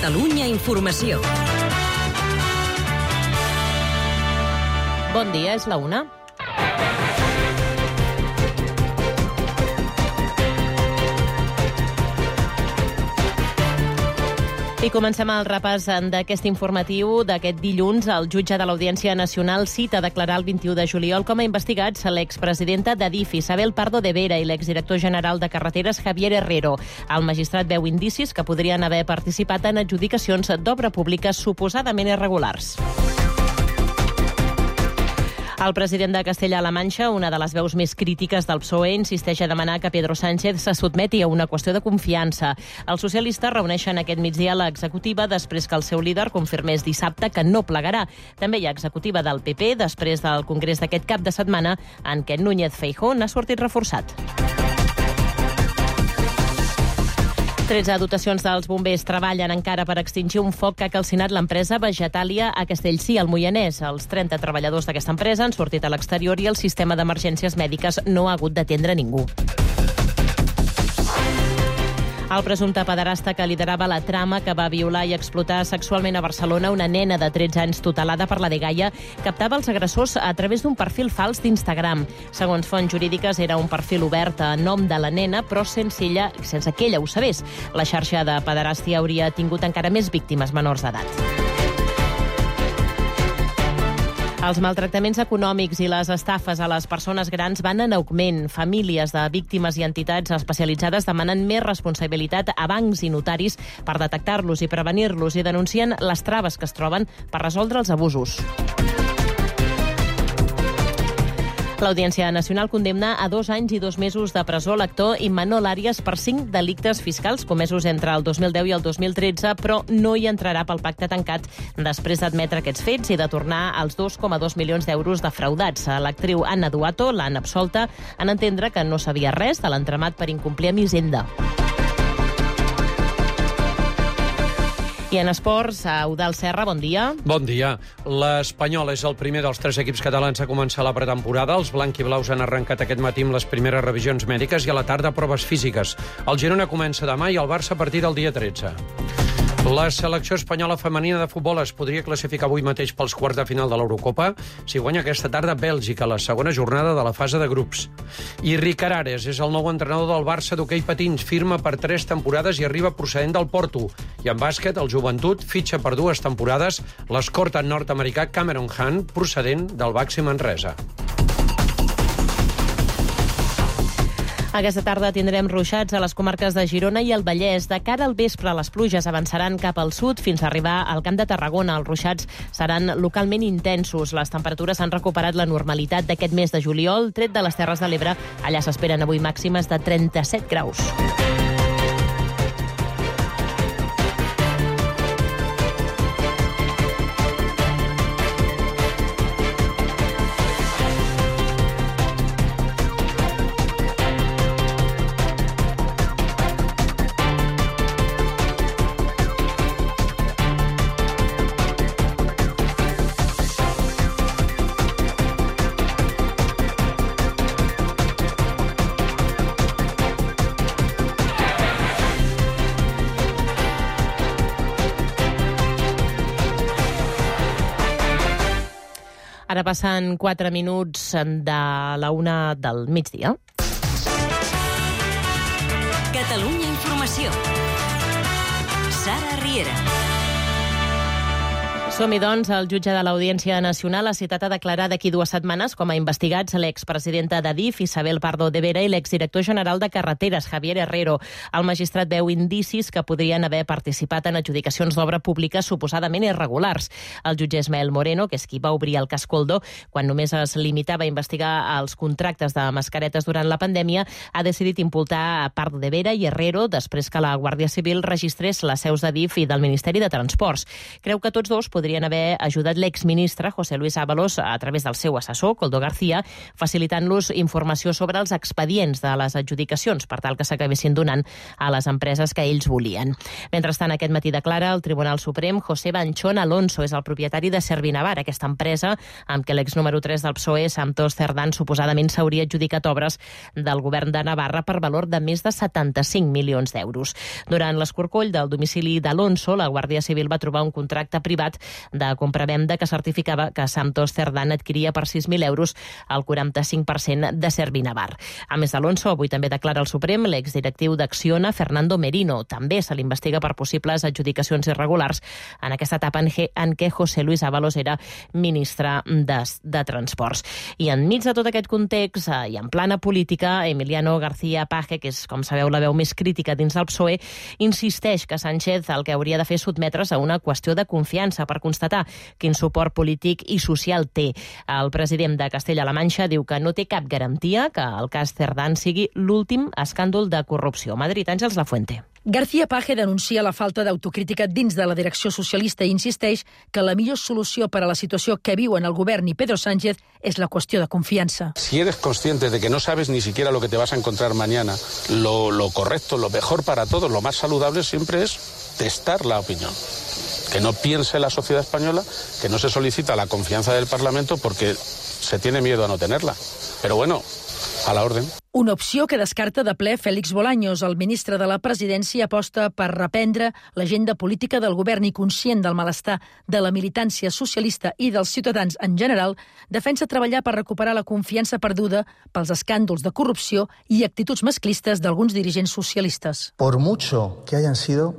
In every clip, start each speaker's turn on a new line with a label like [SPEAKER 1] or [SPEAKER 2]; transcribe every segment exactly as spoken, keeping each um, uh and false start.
[SPEAKER 1] Catalunya Informació.
[SPEAKER 2] Bon dia, és la una. I comencem el repàs d'aquest informatiu d'aquest dilluns. El jutge de l'Audiència Nacional cita a declarar el vint-i-u de juliol com a investigats l'expresidenta d'Adif, Isabel Pardo de Vera, i l'exdirector general de Carreteres, Javier Herrero. El magistrat veu indicis que podrien haver participat en adjudicacions d'obra pública suposadament irregulars. El president de Castella-La Manxa, una de les veus més crítiques del P S O E, insisteix a demanar que Pedro Sánchez se sotmeti a una qüestió de confiança. Els socialistes reuneixen aquest migdia l'executiva després que el seu líder confirmés dissabte que no plegarà. També hi ha executiva del P P després del congrés d'aquest cap de setmana en què Núñez Feijóo n'ha sortit reforçat. tretze dotacions dels bombers treballen encara per extingir un foc que ha calcinat l'empresa Vegetàlia a Castellcí, al Moianès. Els trenta treballadors d'aquesta empresa han sortit a l'exterior i el sistema d'emergències mèdiques no ha hagut d'atendre ningú. El presumpte pederasta que liderava la trama que va violar i explotar sexualment a Barcelona una nena de tretze anys tutelada per la dgaia captava els agressors a través d'un perfil fals d'Instagram. Segons fonts jurídiques, era un perfil obert a nom de la nena, però sense ella, sense que ella ho sabés. La xarxa de pederàstia hauria tingut encara més víctimes menors d'edat. Els maltractaments econòmics i les estafes a les persones grans van en augment. Famílies de víctimes i entitats especialitzades demanen més responsabilitat a bancs i notaris per detectar-los i prevenir-los i denuncien les traves que es troben per resoldre els abusos. L'Audiència Nacional condemna a dos anys i dos mesos de presó l'actor Imanol Arias per cinc delictes fiscals comesos entre el dos mil deu i el dos mil tretze, però no hi entrarà pel pacte tancat després d'admetre aquests fets i de tornar els dos coma dos milions d'euros defraudats. L'actriu Anna Duato l'han absolta en entendre que no sabia res de l'entramat per incomplir amb Hisenda. I en esports, Eudald Serra, bon dia.
[SPEAKER 3] Bon dia. L'Espanyol és el primer dels tres equips catalans a començar la pretemporada. Els blanquiblaus han arrencat aquest matí amb les primeres revisions mèdiques i a la tarda proves físiques. El Girona comença demà i el Barça a partir del dia tretze. La selecció espanyola femenina de futbol es podria classificar avui mateix pels quarts de final de l'Eurocopa si guanya aquesta tarda Bèlgica, la segona jornada de la fase de grups. I Ricard Ares és el nou entrenador del Barça d'hoquei patins, firma per tres temporades i arriba procedent del Porto. I en bàsquet, el Joventut fitxa per dues temporades l'escorta nord-americà Cameron Hunt, procedent del Baxi Manresa.
[SPEAKER 2] Aquesta tarda tindrem ruixats a les comarques de Girona i el Vallès. De cara al vespre, les pluges avançaran cap al sud fins a arribar al Camp de Tarragona. Els ruixats seran localment intensos. Les temperatures han recuperat la normalitat d'aquest mes de juliol. Tret de les Terres de l'Ebre, allà s'esperen avui màximes de trenta-set graus. Ara passen quatre minuts de la una del migdia.
[SPEAKER 1] Catalunya Informació. Sara Riera.
[SPEAKER 2] Som-hi, doncs. El jutge de l'Audiència Nacional ha citat a declarar d'aquí dues setmanes com a investigats l'expresidenta d'Adif, Isabel Pardo de Vera, i l'exdirector general de Carreteres, Javier Herrero. El magistrat veu indicis que podrien haver participat en adjudicacions d'obra pública suposadament irregulars. El jutge Ismael Moreno, que és qui va obrir el cas Koldo, quan només es limitava a investigar els contractes de mascaretes durant la pandèmia, ha decidit imputar a Pardo de Vera i Herrero després que la Guàrdia Civil registrés les seus d'Adif i del Ministeri de Transports. Creu que tots dos podrien podrien haver ajudat l'exministre José Luis Ábalos a través del seu assessor, Koldo García, facilitant-los informació sobre els expedients de les adjudicacions per tal que s'acabessin donant a les empreses que ells volien. Mentrestant, aquest matí declara el Tribunal Suprem José Banchón Alonso, és el propietari de Servinavar, aquesta empresa amb què l'ex número tres del P S O E, Santos Cerdán, suposadament s'hauria adjudicat obres del govern de Navarra per valor de més de setanta-cinc milions d'euros. Durant l'escorcoll del domicili d'Alonso, la Guàrdia Civil va trobar un contracte privat de compra-venda que certificava que Santos Cerdán adquiria per sis mil euros el quaranta-cinc per cent de Servinavar. A més d'Alonso, avui també declara al Suprem l'exdirectiu d'Acciona, Fernando Merino. També se l'investiga per possibles adjudicacions irregulars en aquesta etapa en què José Luis Ábalos era ministre de, de Transports. I enmig de tot aquest context i en plana política, Emiliano García Paje, que és, com sabeu, la veu més crítica dins del P S O E, insisteix que Sánchez el que hauria de fer és sotmetre's a una qüestió de confiança per constatar quin suport polític i social té. El president de Castella-La Manxa diu que no té cap garantia que el cas Cerdán sigui l'últim escàndol de corrupció. Madrid, Àngels Lafuente.
[SPEAKER 4] García Paje denuncia la falta d'autocrítica dins de la direcció socialista i insisteix que la millor solució per a la situació que viuen el govern i Pedro Sánchez és la qüestió de confiança.
[SPEAKER 5] Si eres consciente de que no sabes ni siquiera lo que te vas a encontrar mañana, lo, lo correcto, lo mejor para todos, lo más saludable siempre es testar la opinión. Que no piense la sociedad española, que no se solicita la confianza del Parlamento porque se tiene miedo a no tenerla. Pero bueno, a la orden.
[SPEAKER 4] Una opció que descarta de ple Félix Bolaños. El ministre de la Presidència aposta per reprendre l'agenda política del govern i, conscient del malestar de la militància socialista i dels ciutadans en general, defensa treballar per recuperar la confiança perduda pels escàndols de corrupció i actituds masclistes d'alguns dirigents socialistes.
[SPEAKER 6] Por mucho que hayan sido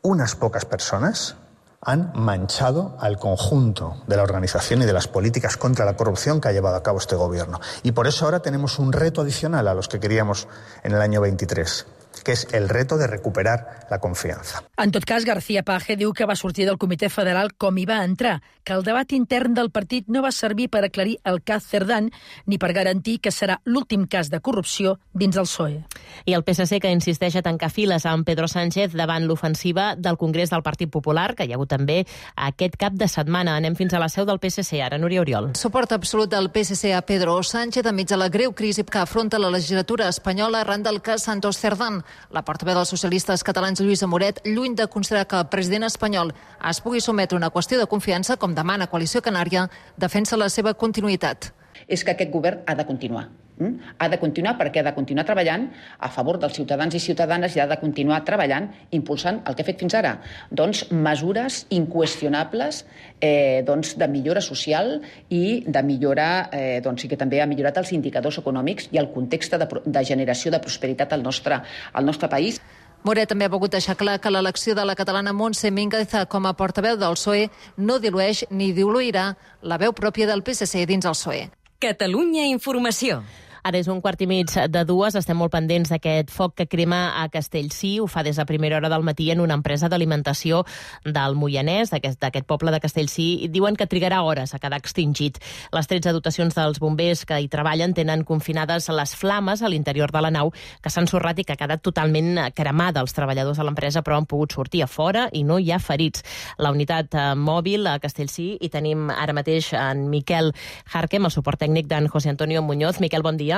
[SPEAKER 6] unas pocas personas, han manchado al conjunto de la organización y de las políticas contra la corrupción que ha llevado a cabo este gobierno. Y por eso ahora tenemos un reto adicional a los que queríamos en el año veintitrés, que és el reto de recuperar la confiança.
[SPEAKER 4] En tot cas, García Paje diu que va sortir del Comitè Federal com hi va entrar, que el debat intern del partit no va servir per aclarir el cas Cerdán ni per garantir que serà l'últim cas de corrupció dins del P S O E.
[SPEAKER 2] I el P S C, que insisteix a tancar files amb Pedro Sánchez davant l'ofensiva del Congrés del Partit Popular, que hi ha hagut també aquest cap de setmana. Anem fins a la seu del P S C, ara Núria Oriol.
[SPEAKER 7] Suport absolut del P S C a Pedro Sánchez enmig de la greu crisi que afronta la legislatura espanyola arran del cas Santos Cerdán. La portaveu dels socialistes catalans, Lluïsa Moret, lluny de considerar que el president espanyol es pugui sometre a una qüestió de confiança, com demana Coalició Canària, defensa la seva continuïtat.
[SPEAKER 8] És que aquest govern ha de continuar. Ha de continuar perquè ha de continuar treballant a favor dels ciutadans i ciutadanes i ha de continuar treballant, impulsant el que ha fet fins ara. Doncs mesures inqüestionables eh, doncs, de millora social i de millora, eh, doncs, i que també ha millorat els indicadors econòmics i el context de, de generació de prosperitat al nostre, al nostre país.
[SPEAKER 7] Moret també ha volgut deixar clar que l'elecció de la catalana Montse Mínguez com a portaveu del P S O E no dilueix ni diluirà la veu pròpia del P S C dins el P S O E.
[SPEAKER 1] Catalunya Informació.
[SPEAKER 2] Ara és un quart i mig de dues. Estem molt pendents d'aquest foc que crema a Castellcí. Ho fa des de primera hora del matí en una empresa d'alimentació del Moianès, d'aquest poble de Castellcí. I diuen que trigarà hores a quedar extingit. Les tretze dotacions dels bombers que hi treballen tenen confinades les flames a l'interior de la nau, que s'han ensorrat i que ha quedat totalment cremada. Els treballadors de l'empresa, però, han pogut sortir a fora i no hi ha ferits. La unitat mòbil a Castellcí, i tenim ara mateix en Miquel Jarquem, el suport tècnic d'en José Antonio Muñoz. Miquel, bon dia.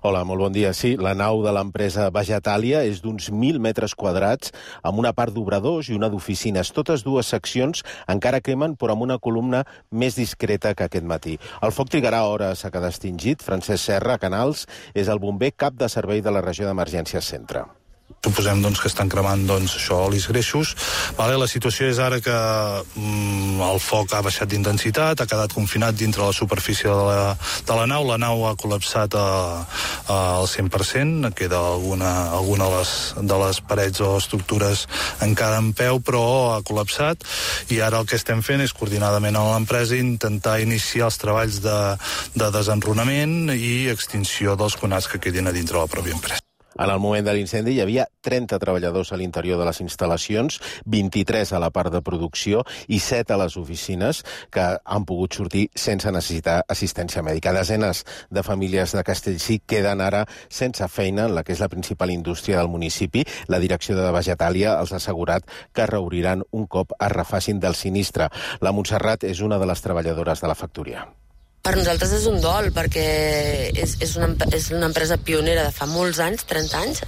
[SPEAKER 9] Hola, molt bon dia. Sí, la nau de l'empresa Vegetàlia és d'uns mil metres quadrats, amb una part d'obradors i una d'oficines. Totes dues seccions encara cremen, però amb una columna més discreta que aquest matí. El foc trigarà hores a quedar extingit. Francesc Serra Canals és el bomber cap de servei de la regió d'Emergències Centre.
[SPEAKER 10] Suposem doncs, que estan cremant doncs, això, olis greixos. Vale, la situació és ara que mm, el foc ha baixat d'intensitat, ha quedat confinat dintre la superfície de la, de la nau. La nau ha col·lapsat a, a, al cent per cent, queda alguna, alguna de, les, de les parets o estructures encara en peu, però ha col·lapsat, i ara el que estem fent és, coordinadament amb l'empresa, intentar iniciar els treballs de, de desenrunament i extinció dels conats que quedin a dintre la pròpia empresa.
[SPEAKER 9] En el moment de l'incendi hi havia trenta treballadors a l'interior de les instal·lacions, vint-i-tres a la part de producció i set a les oficines, que han pogut sortir sense necessitar assistència mèdica. Desenes de famílies de Castellcir queden ara sense feina en la que és la principal indústria del municipi. La direcció de Vegetàlia els ha assegurat que reobriran un cop es refacin del sinistre. La Montserrat és una de les treballadores de la factoria.
[SPEAKER 11] Per nosaltres és un dol, perquè és, és, una, és una empresa pionera de fa molts anys, trenta anys,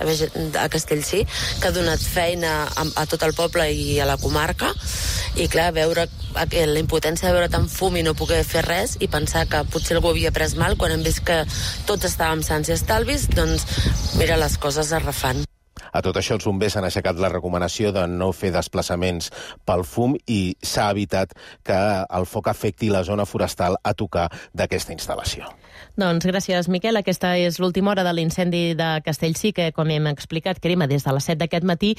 [SPEAKER 11] a Castellcir, que ha donat feina a, a tot el poble i a la comarca, i clar, veure la impotència de veure tant fum i no poder fer res, i pensar que potser algú havia pres mal, quan hem vist que tots estàvem sans i estalvis, doncs mira, les coses es refan.
[SPEAKER 9] A tot això, els bombers han aixecat la recomanació de no fer desplaçaments pel fum i s'ha evitat que el foc afecti la zona forestal a tocar d'aquesta instal·lació.
[SPEAKER 2] Doncs gràcies, Miquel. Aquesta és l'última hora de l'incendi de Castellcir, que, com hem explicat, crema des de les set d'aquest matí.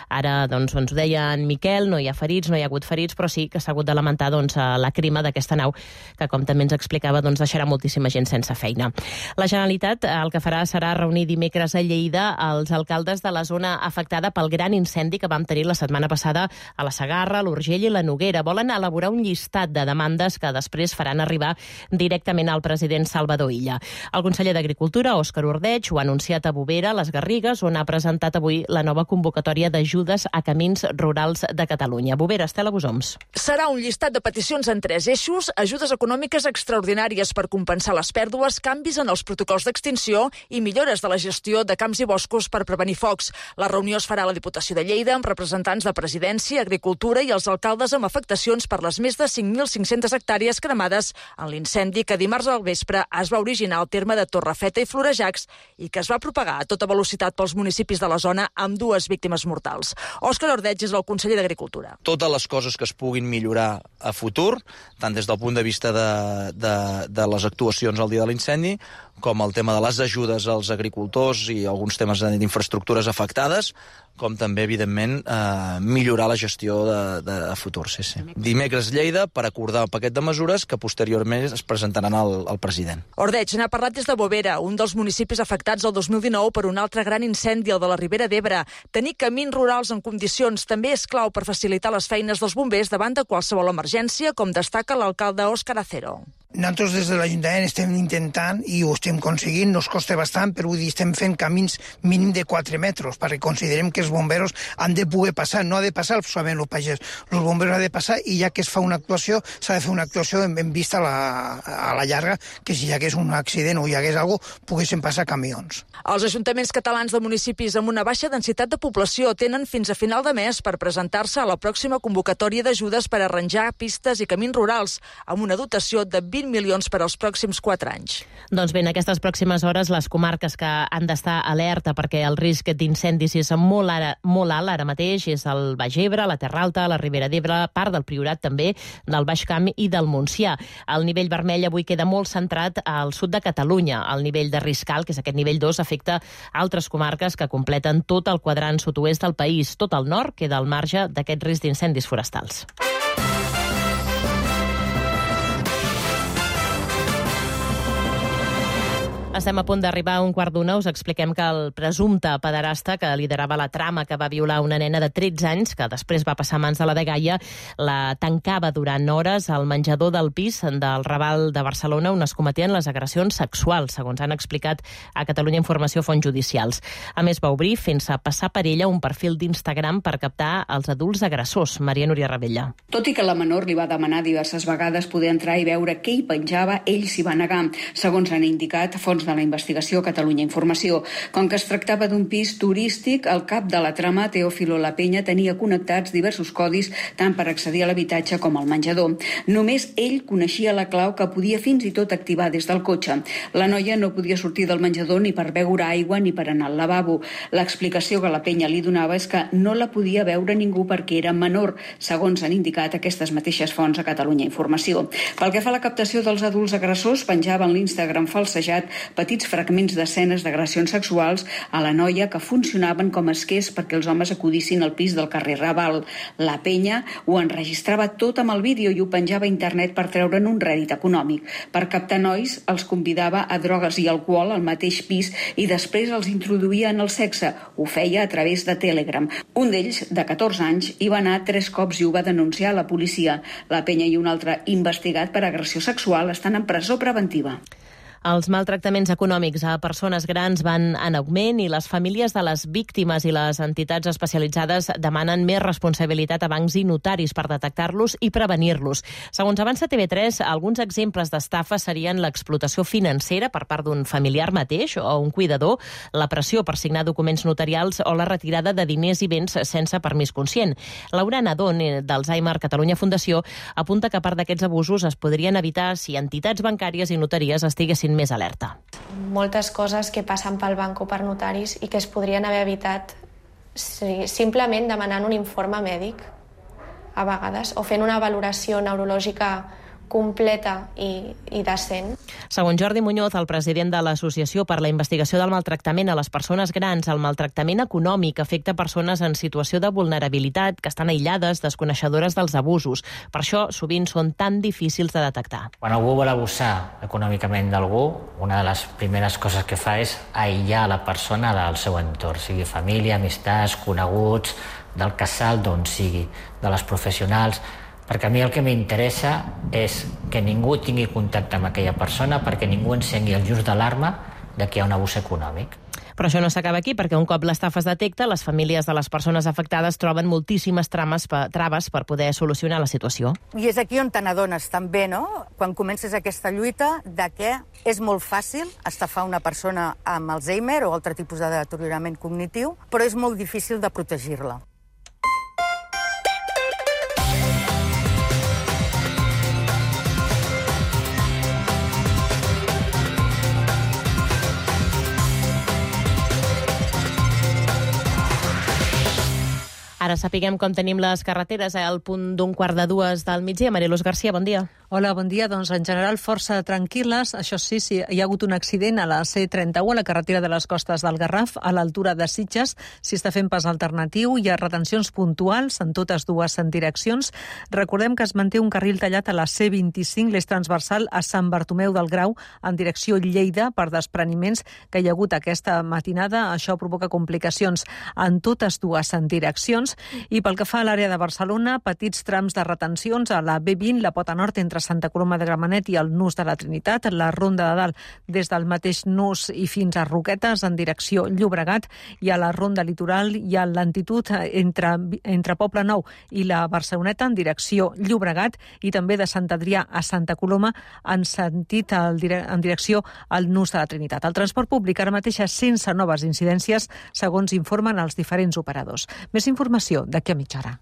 [SPEAKER 2] Ara, doncs, ens ho deia en Miquel, no hi ha ferits, no hi ha hagut ferits, però sí que s'ha hagut de lamentar doncs, la crema d'aquesta nau, que, com també ens explicava, doncs, deixarà moltíssima gent sense feina. La Generalitat el que farà serà reunir dimecres a Lleida els alcaldes de la zona afectada pel gran incendi que vam tenir la setmana passada a la Segarra, l'Urgell i la Noguera. Volen elaborar un llistat de demandes que després faran arribar directament al president Salvador Illa. El conseller d'Agricultura, Òscar Ordeig, ho ha anunciat a Bovera, a les Garrigues, on ha presentat avui la nova convocatòria d'ajudes a camins rurals de Catalunya. Bovera, Estela Bosoms.
[SPEAKER 12] Serà un llistat de peticions en tres eixos: ajudes econòmiques extraordinàries per compensar les pèrdues, canvis en els protocols d'extinció i millores de la gestió de camps i boscos per prevenir focs. La reunió es farà a la Diputació de Lleida amb representants de Presidència, Agricultura i els alcaldes amb afectacions per les més de cinc mil cinc-centes hectàrees cremades en l'incendi que dimarts al vespre es va originar al terme de Torrefeta i Florejacs i que es va propagar a tota velocitat pels municipis de la zona amb dues víctimes mortals. Òscar Ordeig és el conseller d'Agricultura.
[SPEAKER 13] Totes les coses que es puguin millorar a futur, tant des del punt de vista de, de, de les actuacions al dia de l'incendi, com el tema de les ajudes als agricultors i alguns temes d'infraestructures afectades, com també, evidentment, eh, millorar la gestió de, de, de futur. Sí, sí. Dimecres Lleida per acordar un paquet de mesures que posteriorment es presentaran al, al president.
[SPEAKER 12] Ordeig n'ha parlat des de Bovera, un dels municipis afectats el dos mil dinou per un altre gran incendi, el de la Ribera d'Ebre. Tenir camins rurals en condicions també és clau per facilitar les feines dels bombers davant de qualsevol emergència, com destaca l'alcalde Òscar Acero.
[SPEAKER 14] Nosaltres des de l'Ajuntament estem intentant, i ho estem aconseguint, nos costa bastant, però vull dir, estem fent camins mínim de quatre metres, perquè considerem que els bomberos han de poder passar, no ha de passar solament el pagès, els bomberos han de passar, i ja que es fa una actuació, s'ha de fer una actuació en, en vista a la, a la llarga, que si hi hagués un accident o hi hagués alguna cosa, poguessin passar camions.
[SPEAKER 12] Els ajuntaments catalans de municipis amb una baixa densitat de població tenen fins a final de mes per presentar-se a la pròxima convocatòria d'ajudes per arranjar pistes i camins rurals, amb una dotació de vint milions per als pròxims quatre anys.
[SPEAKER 2] Doncs bé, en aquestes pròximes hores, les comarques que han d'estar alerta perquè el risc d'incendis és molt, ara, molt alt ara mateix és el Baix Ebre, la Terra Alta, la Ribera d'Ebre, part del Priorat també, del Baix Camp i del Montsià. El nivell vermell avui queda molt centrat al sud de Catalunya. El nivell de risc alt, que és aquest nivell dos, afecta altres comarques que completen tot el quadrant sud-oest del país. Tot el nord queda al marge d'aquest risc d'incendis forestals. Estem a punt d'arribar a un quart d'una. Us expliquem que el presumpte pederasta que liderava la trama que va violar una nena de tretze anys, que després va passar a mans de la dgaia, la tancava durant hores al menjador del pis del Raval de Barcelona, on es cometien les agressions sexuals, segons han explicat a Catalunya Informació fonts judicials. A més, va obrir fent-se passar per ella un perfil d'Instagram per captar els adults agressors. Maria Núria Ravella.
[SPEAKER 15] Tot i que la menor li va demanar diverses vegades poder entrar i veure què hi penjava, ell s'hi va negar, segons han indicat fons de la investigació Catalunya Informació. Com que es tractava d'un pis turístic, el cap de la trama, Teófilo La Peña, tenia connectats diversos codis tant per accedir a l'habitatge com al menjador. Només ell coneixia la clau que podia fins i tot activar des del cotxe. La noia no podia sortir del menjador ni per beure aigua ni per anar al lavabo. L'explicació que La Peña li donava és que no la podia veure ningú perquè era menor, segons han indicat aquestes mateixes fonts a Catalunya Informació. Pel que fa a la captació dels adults agressors, penjaven l'Instagram falsejat petits fragments d'escenes d'agressions sexuals a la noia que funcionaven com a esquers perquè els homes acudissin al pis del carrer Raval. La penya ho enregistrava tot amb el vídeo i ho penjava a internet per treure'n un rèdit econòmic. Per captar nois, els convidava a drogues i alcohol al mateix pis i després els introduïa en el sexe. Ho feia a través de Telegram. Un d'ells, de catorze anys, hi va anar tres cops i ho va denunciar a la policia. La penya i un altre investigat per agressió sexual estan en presó preventiva.
[SPEAKER 2] Els maltractaments econòmics a persones grans van en augment i les famílies de les víctimes i les entitats especialitzades demanen més responsabilitat a bancs i notaris per detectar-los i prevenir-los. Segons avança T V tres, alguns exemples d'estafa serien l'explotació financera per part d'un familiar mateix o un cuidador, la pressió per signar documents notarials o la retirada de diners i béns sense permís conscient. Laura Nadón, d'Alzheimer Catalunya Fundació, apunta que a part d'aquests abusos es podrien evitar si entitats bancàries i notaries estiguessin més alerta.
[SPEAKER 16] Moltes coses que passen pel banc o per notaris i que es podrien haver evitat simplement demanant un informe mèdic a vegades o fent una valoració neurològica completa i, i decent.
[SPEAKER 2] Segons Jordi Muñoz, el president de l'Associació per la Investigació del Maltractament a les Persones Grans, el maltractament econòmic afecta persones en situació de vulnerabilitat, que estan aïllades, desconeixedores dels abusos. Per això, sovint són tan difícils de detectar.
[SPEAKER 17] Quan algú vol abusar econòmicament d'algú, una de les primeres coses que fa és aïllar la persona del seu entorn, sigui família, amistats, coneguts, del casal, d'on sigui, de les professionals, perquè a mi el que m'interessa és que ningú tingui contacte amb aquella persona perquè ningú encengui el just d'alarma de que hi ha un abús econòmic.
[SPEAKER 2] Però això no s'acaba aquí, perquè un cop l'estafa es detecta, les famílies de les persones afectades troben moltíssimes trames, traves per poder solucionar la situació.
[SPEAKER 18] I és aquí on te n'adones també, no?, quan comences aquesta lluita, de que és molt fàcil estafar una persona amb Alzheimer o altre tipus de deteriorament cognitiu, però és molt difícil de protegir-la.
[SPEAKER 2] Ara sapiguem com tenim les carreteres al punt d'un quart de dues del migdia. Mariluz Garcia, bon dia.
[SPEAKER 19] Hola, bon dia. Doncs en general força tranquil·les. Això sí, sí, hi ha hagut un accident a la C trenta-u, a la carretera de les costes del Garraf, a l'altura de Sitges. S'hi està fent pas alternatiu. Hi ha retencions puntuals en totes dues direccions. Recordem que es manté un carril tallat a la C vint-i-cinc, l'eix transversal a Sant Bartomeu del Grau, en direcció Lleida, per despreniments que hi ha hagut aquesta matinada. Això provoca complicacions en totes dues direccions. I pel que fa a l'àrea de Barcelona, petits trams de retencions a la B vint, la Pota Nord, entre Santa Coloma de Gramenet i el Nus de la Trinitat, la Ronda de Dalt des del mateix Nus i fins a Roquetes en direcció Llobregat, i a la Ronda Litoral hi ha lentitud entre, entre Poble Nou i la Barceloneta en direcció Llobregat i també de Sant Adrià a Santa Coloma en sentit al, en direcció al Nus de la Trinitat. El transport públic ara mateix és sense noves incidències, segons informen els diferents operadors. Més informació d'aquí a mitja hora.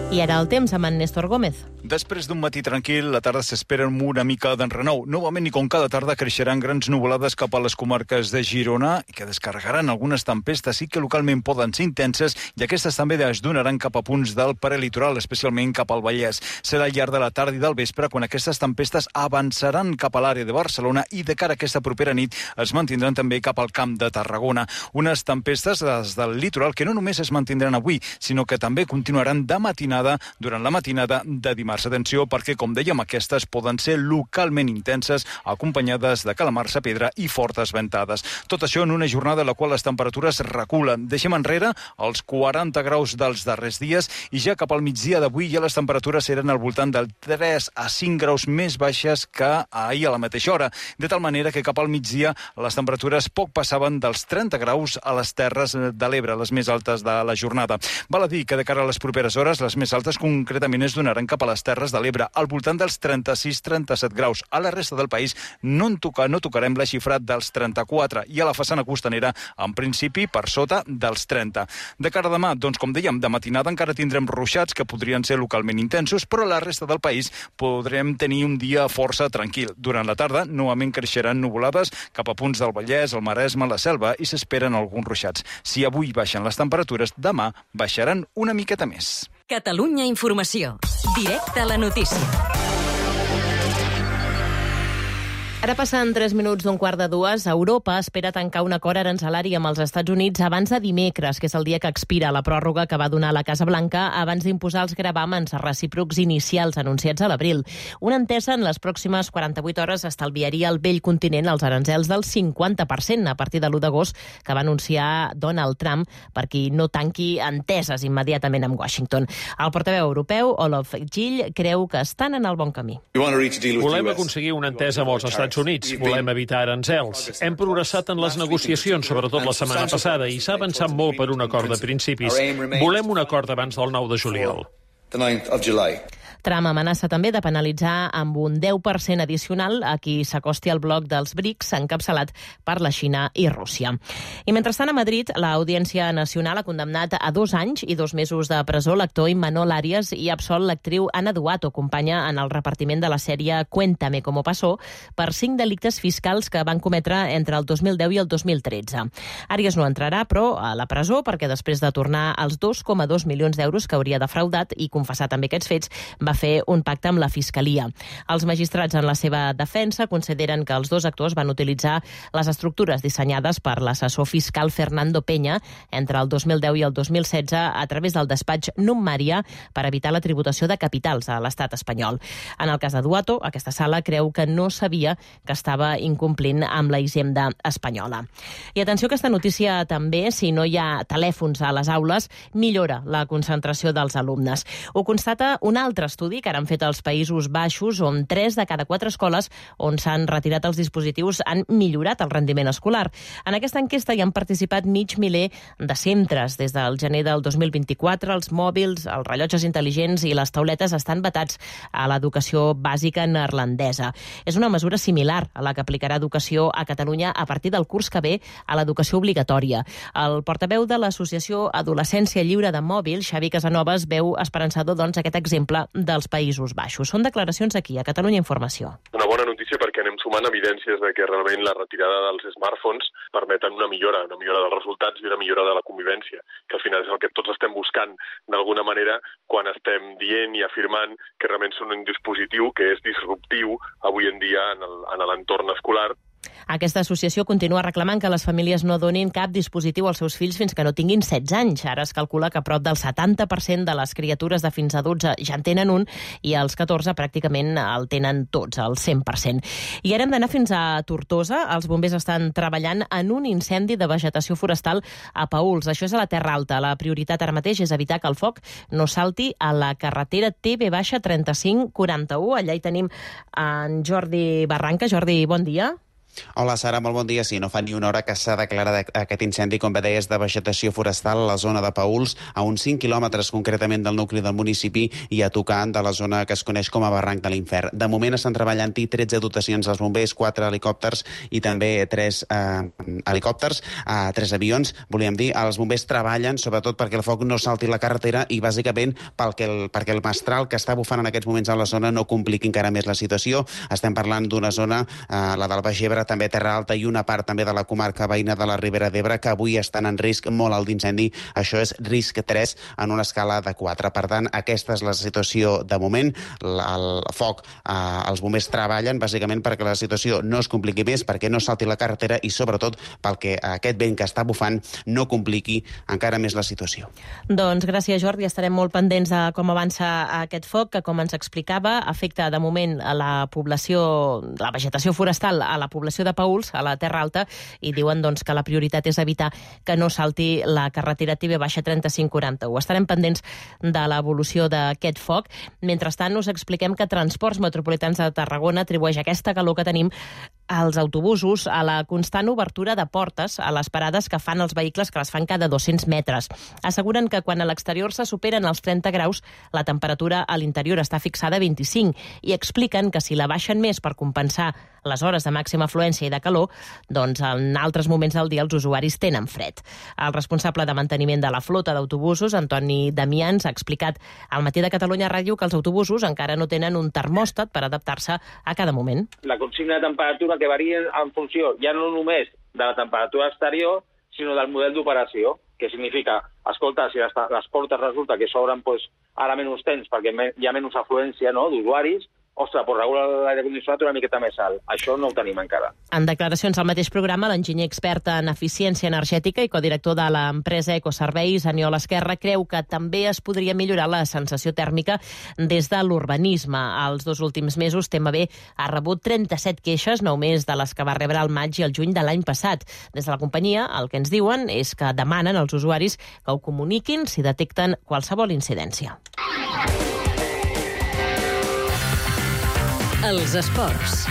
[SPEAKER 2] I ara el temps amb en Néstor Gómez.
[SPEAKER 20] Després d'un matí tranquil, la tarda s'espera amb una mica d'enrenou. Novament, i com cada tarda, creixeran grans nuvolades cap a les comarques de Girona, que descarregaran algunes tempestes i que localment poden ser intenses, i aquestes també es donaran cap a punts del prelitoral, especialment cap al Vallès. Serà al llarg de la tarda i del vespre quan aquestes tempestes avançaran cap a l'àrea de Barcelona i de cara a aquesta propera nit es mantindran també cap al Camp de Tarragona. Unes tempestes des del litoral que no només es mantindran avui, sinó que també continuaran de matinada durant la matinada de dimarts. Atenció, perquè, com dèiem, aquestes poden ser localment intenses, acompanyades de calamarsa, pedra i fortes ventades. Tot això en una jornada en la qual les temperatures reculen. Deixem enrere els quaranta graus dels darrers dies i ja cap al migdia d'avui ja les temperatures eren al voltant del tres a cinc graus més baixes que ahir a la mateixa hora. De tal manera que cap al migdia les temperatures poc passaven dels trenta graus a les Terres de l'Ebre, les més altes de la jornada. Val a dir que de cara a les properes hores, les més altes concretament es donaran cap a les Terres de l'Ebre, al voltant dels trenta-sis trenta-set graus. A la resta del país no, en toca, no tocarem la xifra dels trenta-quatre i a la façana costanera, en principi, per sota dels trenta. De cara a demà, doncs, com dèiem, de matinada encara tindrem ruixats que podrien ser localment intensos, però a la resta del país podrem tenir un dia força tranquil. Durant la tarda, novament creixeran nuvolades cap a punts del Vallès, el Maresme, la Selva, i s'esperen alguns ruixats. Si avui baixen les temperatures, demà baixaran una miqueta més.
[SPEAKER 1] Catalunya Informació. Directe a la notícia.
[SPEAKER 2] Ara passen tres minuts d'un quart de dues. Europa espera tancar un acord arancelari amb els Estats Units abans de dimecres, que és el dia que expira la pròrroga que va donar la Casa Blanca abans d'imposar els gravàmens recíprocs inicials anunciats a l'abril. Una entesa en les pròximes quaranta-vuit hores estalviaria al vell continent els arancels del cinquanta per cent a partir de l'u d'agost que va anunciar Donald Trump per qui no tanqui enteses immediatament amb Washington. El portaveu europeu, Olof Gill, creu que estan en el bon camí.
[SPEAKER 21] Volem aconseguir una entesa amb els Estats Units. Volem evitar arancels. Hem progressat en les negociacions, sobretot la setmana passada, i s'ha avançat molt per un acord de principis. Volem un acord abans del nou de juliol.
[SPEAKER 2] Trump amenaça també de penalitzar amb un deu per cent addicional a qui s'acosti al bloc dels BRICS encapçalat per la Xina i Rússia. I mentrestant a Madrid, l'Audiència Nacional ha condemnat a dos anys i dos mesos de presó l'actor Imanol Arias i ha absolt l'actriu Ana Duato, companya en el repartiment de la sèrie Cuéntame cómo pasó, per cinc delictes fiscals que van cometre entre el dos mil deu i el dos mil tretze. Arias no entrarà, però, a la presó perquè després de tornar els dos coma dos milions d'euros que hauria defraudat i confessar també aquests fets, va fer un pacte amb la Fiscalia. Els magistrats en la seva defensa consideren que els dos actors van utilitzar les estructures dissenyades per l'assessor fiscal Fernando Peña entre el dos mil deu i el dos mil setze a través del despatx Nummaria per evitar la tributació de capitals a l'estat espanyol. En el cas de Duato, aquesta sala creu que no sabia que estava incomplint amb la hisenda espanyola. I atenció a aquesta notícia també, si no hi ha telèfons a les aules, millora la concentració dels alumnes. Ho constata un altre estudi que han fet als Països Baixos, on tres de cada quatre escoles on s'han retirat els dispositius han millorat el rendiment escolar. En aquesta enquesta hi han participat mig miler de centres. Des del gener del dos mil vint-i-quatre, els mòbils, els rellotges intel·ligents i les tauletes estan vetats a l'educació bàsica neerlandesa. És una mesura similar a la que aplicarà Educació a Catalunya a partir del curs que ve a l'educació obligatòria. El portaveu de l'Associació Adolescència Lliure de Mòbil, Xavi Casanovas, veu esperançador doncs, aquest exemple dels Països Baixos. Són declaracions aquí, a Catalunya Informació.
[SPEAKER 22] Una bona notícia perquè anem sumant evidències de que realment la retirada dels smartphones permeten una millora, una millora dels resultats i una millora de la convivència, que al final és el que tots estem buscant d'alguna manera quan estem dient i afirmant que realment són un dispositiu que és disruptiu avui en dia en l'entorn escolar.
[SPEAKER 2] Aquesta associació continua reclamant que les famílies no donin cap dispositiu als seus fills fins que no tinguin setze anys. Ara es calcula que prop del setanta per cent de les criatures de fins a dotze ja en tenen un i els catorze pràcticament el tenen tots, el cent per cent. I ara hem d'anar fins a Tortosa. Els bombers estan treballant en un incendi de vegetació forestal a Paüls. Això és a la Terra Alta. La prioritat ara mateix és evitar que el foc no salti a la carretera T B trenta-cinc quaranta-u. Allà hi tenim en Jordi Barranca. Jordi, bon dia.
[SPEAKER 23] Hola, Sara, molt bon dia. Sí, no fa ni una hora que s'ha declarat aquest incendi, com bé deies, de vegetació forestal a la zona de Paüls, a uns cinc quilòmetres concretament del nucli del municipi i a tocar de la zona que es coneix com a Barranc de l'Infern. De moment estan treballant-hi tretze dotacions als bombers, quatre helicòpters i també tres eh, helicòpters, eh, tres avions, volíem dir. Els bombers treballen sobretot perquè el foc no salti la carretera i bàsicament perquè el, perquè el mestral que està bufant en aquests moments a la zona no compliqui encara més la situació. Estem parlant d'una zona, eh, la del Baix Ebre, també Terra Alta i una part també de la comarca veïna de la Ribera d'Ebre que avui estan en risc molt alt d'incendi. Això és risc tres en una escala de quatre. Per tant, aquesta és la situació de moment. El foc, eh, els bombers treballen bàsicament perquè la situació no es compliqui més, perquè no salti la carretera i sobretot perquè aquest vent que està bufant no compliqui encara més la situació.
[SPEAKER 2] Doncs gràcies, Jordi. Estarem molt pendents de com avança aquest foc, que com ens explicava afecta de moment a la població, la vegetació forestal a la població de Paüls, a la Terra Alta, i diuen doncs, que la prioritat és evitar que no salti la carretera T B trenta-cinc quaranta-u. Estarem pendents de l'evolució d'aquest foc. Mentrestant, us expliquem que Transports Metropolitans de Tarragona atribueix aquesta calor que tenim als autobusos a la constant obertura de portes a les parades que fan els vehicles, que les fan cada dos-cents metres. Asseguren que quan a l'exterior se superen els trenta graus, la temperatura a l'interior està fixada a vint-i-cinc i expliquen que si la baixen més per compensar les hores de màxima afluència i de calor, doncs en altres moments del dia els usuaris tenen fred. El responsable de manteniment de la flota d'autobusos, Antoni Damians, ha explicat al Matí de Catalunya Ràdio que els autobusos encara no tenen un termòstat per adaptar-se a cada moment.
[SPEAKER 3] La consigna de temperatura que varia en funció ja no només de la temperatura exterior, sinó del model d'operació, que significa, escolta, si les, les portes resulta que s'obren pues, ara menys temps perquè hi ha menys afluència, no, d'usuaris, ostres, pues regula l'aire condicionat una miqueta més alt. Això no ho tenim encara.
[SPEAKER 2] En declaracions al mateix programa, l'enginyer expert en eficiència energètica i codirector de l'empresa Ecoserveis, Aniol Esquerra, creu que també es podria millorar la sensació tèrmica des de l'urbanisme. Els dos últims mesos, T M B ha rebut trenta-set queixes, nou més de les que va rebre al maig i el juny de l'any passat. Des de la companyia, el que ens diuen és que demanen als usuaris que ho comuniquin si detecten qualsevol incidència.
[SPEAKER 1] Els esports.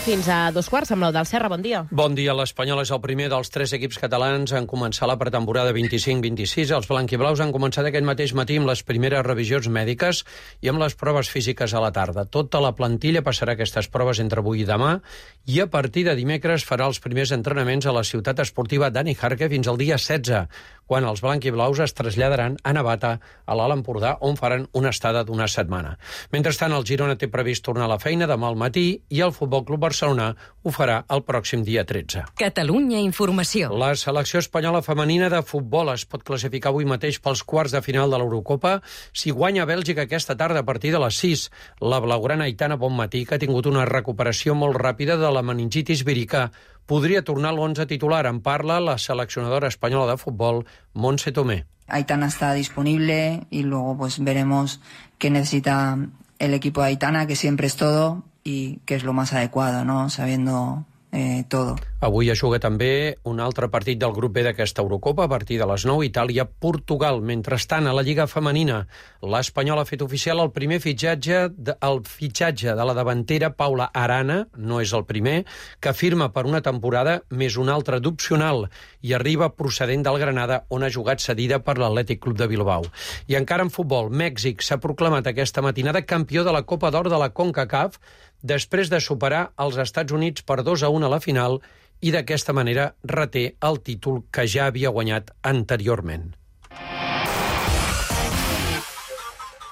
[SPEAKER 2] Fins a dos quarts amb l'Eudald Serra, bon dia.
[SPEAKER 21] Bon dia. L'Espanyol és el primer dels tres equips catalans en començar la pretemporada vint-i-cinc vint-i-sis. Els blanquiblaus han començat aquest mateix matí amb les primeres revisions mèdiques i amb les proves físiques a la tarda. Tota la plantilla passarà aquestes proves entre avui i demà i a partir de dimecres farà els primers entrenaments a la ciutat esportiva Dani Jarque fins al dia setze, quan els blanquiblaus es traslladaran a Navata, a l'Alt Empordà, on faran una estada d'una setmana. Mentrestant, el Girona té previst tornar a la feina demà al matí i el Futbol Club Barcelona ho farà el pròxim dia tretze.
[SPEAKER 1] Catalunya Informació.
[SPEAKER 21] La selecció espanyola femenina de futbol es pot classificar avui mateix pels quarts de final de l'Eurocopa si guanya Bèlgica aquesta tarda a partir de les sis. La blaugrana Aitana Bonmatí, que ha tingut una recuperació molt ràpida de la meningitis vírica, podria tornar a l'onze titular. En parla la seleccionadora espanyola de futbol, Montse Tomé.
[SPEAKER 5] Aitana está disponible y luego pues veremos qué necesita el equipo de Aitana, que siempre es todo y qué es lo más adecuado, ¿no? Sabiendo eh, todo.
[SPEAKER 21] Avui es juga també un altre partit del grup B d'aquesta Eurocopa a partir de les nou, Itàlia-Portugal. Mentrestant, a la Lliga Femenina, l'Espanyol ha fet oficial el primer fitxatge, de, el fitxatge de la davantera Paula Arana, no és el primer, que firma per una temporada més una altra d'opcional i arriba procedent del Granada, on ha jugat cedida per l'Atlètic Club de Bilbao. I encara en futbol, Mèxic s'ha proclamat aquesta matinada campió de la Copa d'Or de la CONCACAF després de superar els Estats Units per dos a un a la final i d'aquesta manera reté el títol que ja havia guanyat anteriorment.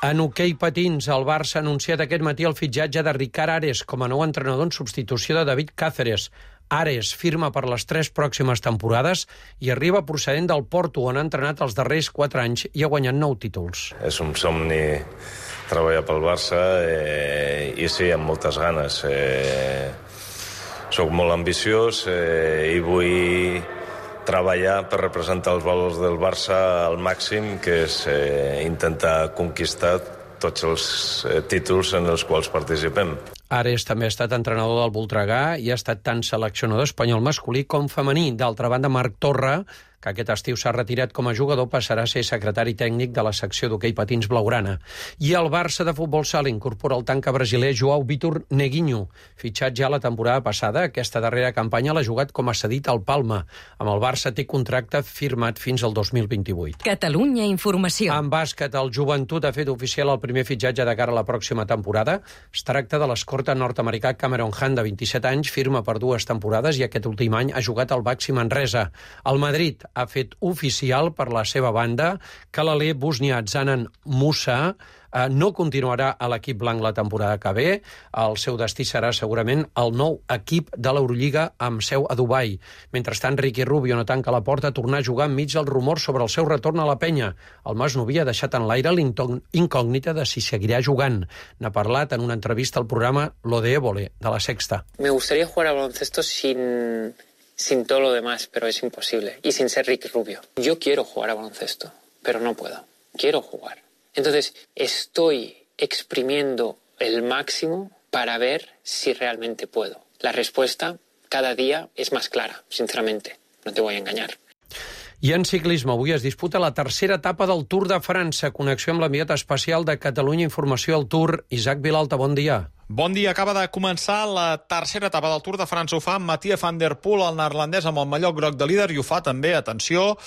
[SPEAKER 21] En hoquei patins, el Barça ha anunciat aquest matí el fitxatge de Ricard Ares com a nou entrenador en substitució de David Cáceres. Ares firma per les tres pròximes temporades i arriba procedent del Porto, on ha entrenat els darrers quatre anys i ha guanyat nou títols.
[SPEAKER 6] És un somni treballar pel Barça eh, i sí, amb moltes ganes. Eh, soc molt ambiciós eh, i vull treballar per representar els valors del Barça al màxim, que és eh, intentar conquistar tots els eh, títols en els quals participem.
[SPEAKER 21] Ares també ha estat entrenador del Voltregà i ha estat tant seleccionador espanyol masculí com femení. D'altra banda, Marc Torra, que aquest estiu s'ha retirat com a jugador, passarà a ser secretari tècnic de la secció d'hoquei patins blaugrana. I el Barça de futbol sala incorpora el tanca brasiler João Vitor Neguinho, fitxat ja la temporada passada. Aquesta darrera campanya l'ha jugat com a cedit al Palma. Amb el Barça té contracte firmat fins al dos mil vint-i-vuit.
[SPEAKER 1] Catalunya Informació.
[SPEAKER 21] En bàsquet, el Joventut ha fet oficial el primer fitxatge de cara a la pròxima temporada. Es tracta de l'escorta nord-americà Cameron Hunt, de vint-i-set anys, firma per dues temporades i aquest últim any ha jugat al Baxi Manresa. El Madrid ha fet oficial per la seva banda que l'alè bosnià Zanan Musa eh, no continuarà a l'equip blanc la temporada que ve. El seu destí serà segurament el nou equip de l'Eurolliga amb seu a Dubai. Mentrestant, Ricky Rubio no tanca la porta a tornar a jugar enmig dels rumors sobre el seu retorn a la penya. El masnoví ha deixat en l'aire l'incògnita de si seguirà jugant. N'ha parlat en una entrevista al programa Lo de Évole, de La Sexta.
[SPEAKER 24] Me gustaría jugar a baloncesto sin... sin todo lo demás, pero es imposible. Y sin ser Ricky Rubio. Yo quiero jugar a baloncesto, pero no puedo. Quiero jugar. Entonces, estoy exprimiendo el máximo para ver si realmente puedo. La respuesta cada día es más clara, sinceramente. No te voy a engañar.
[SPEAKER 4] I en ciclisme, avui es disputa la tercera etapa del Tour de França. Connexió amb l'enviat especial de Catalunya Informació al Tour, Isaac Vilalta, bon dia.
[SPEAKER 7] Bon dia, acaba de començar la tercera etapa del Tour de França. Ho fa Mathieu van der Poel, el neerlandès, amb el mallot groc de líder, i ho fa també, atenció,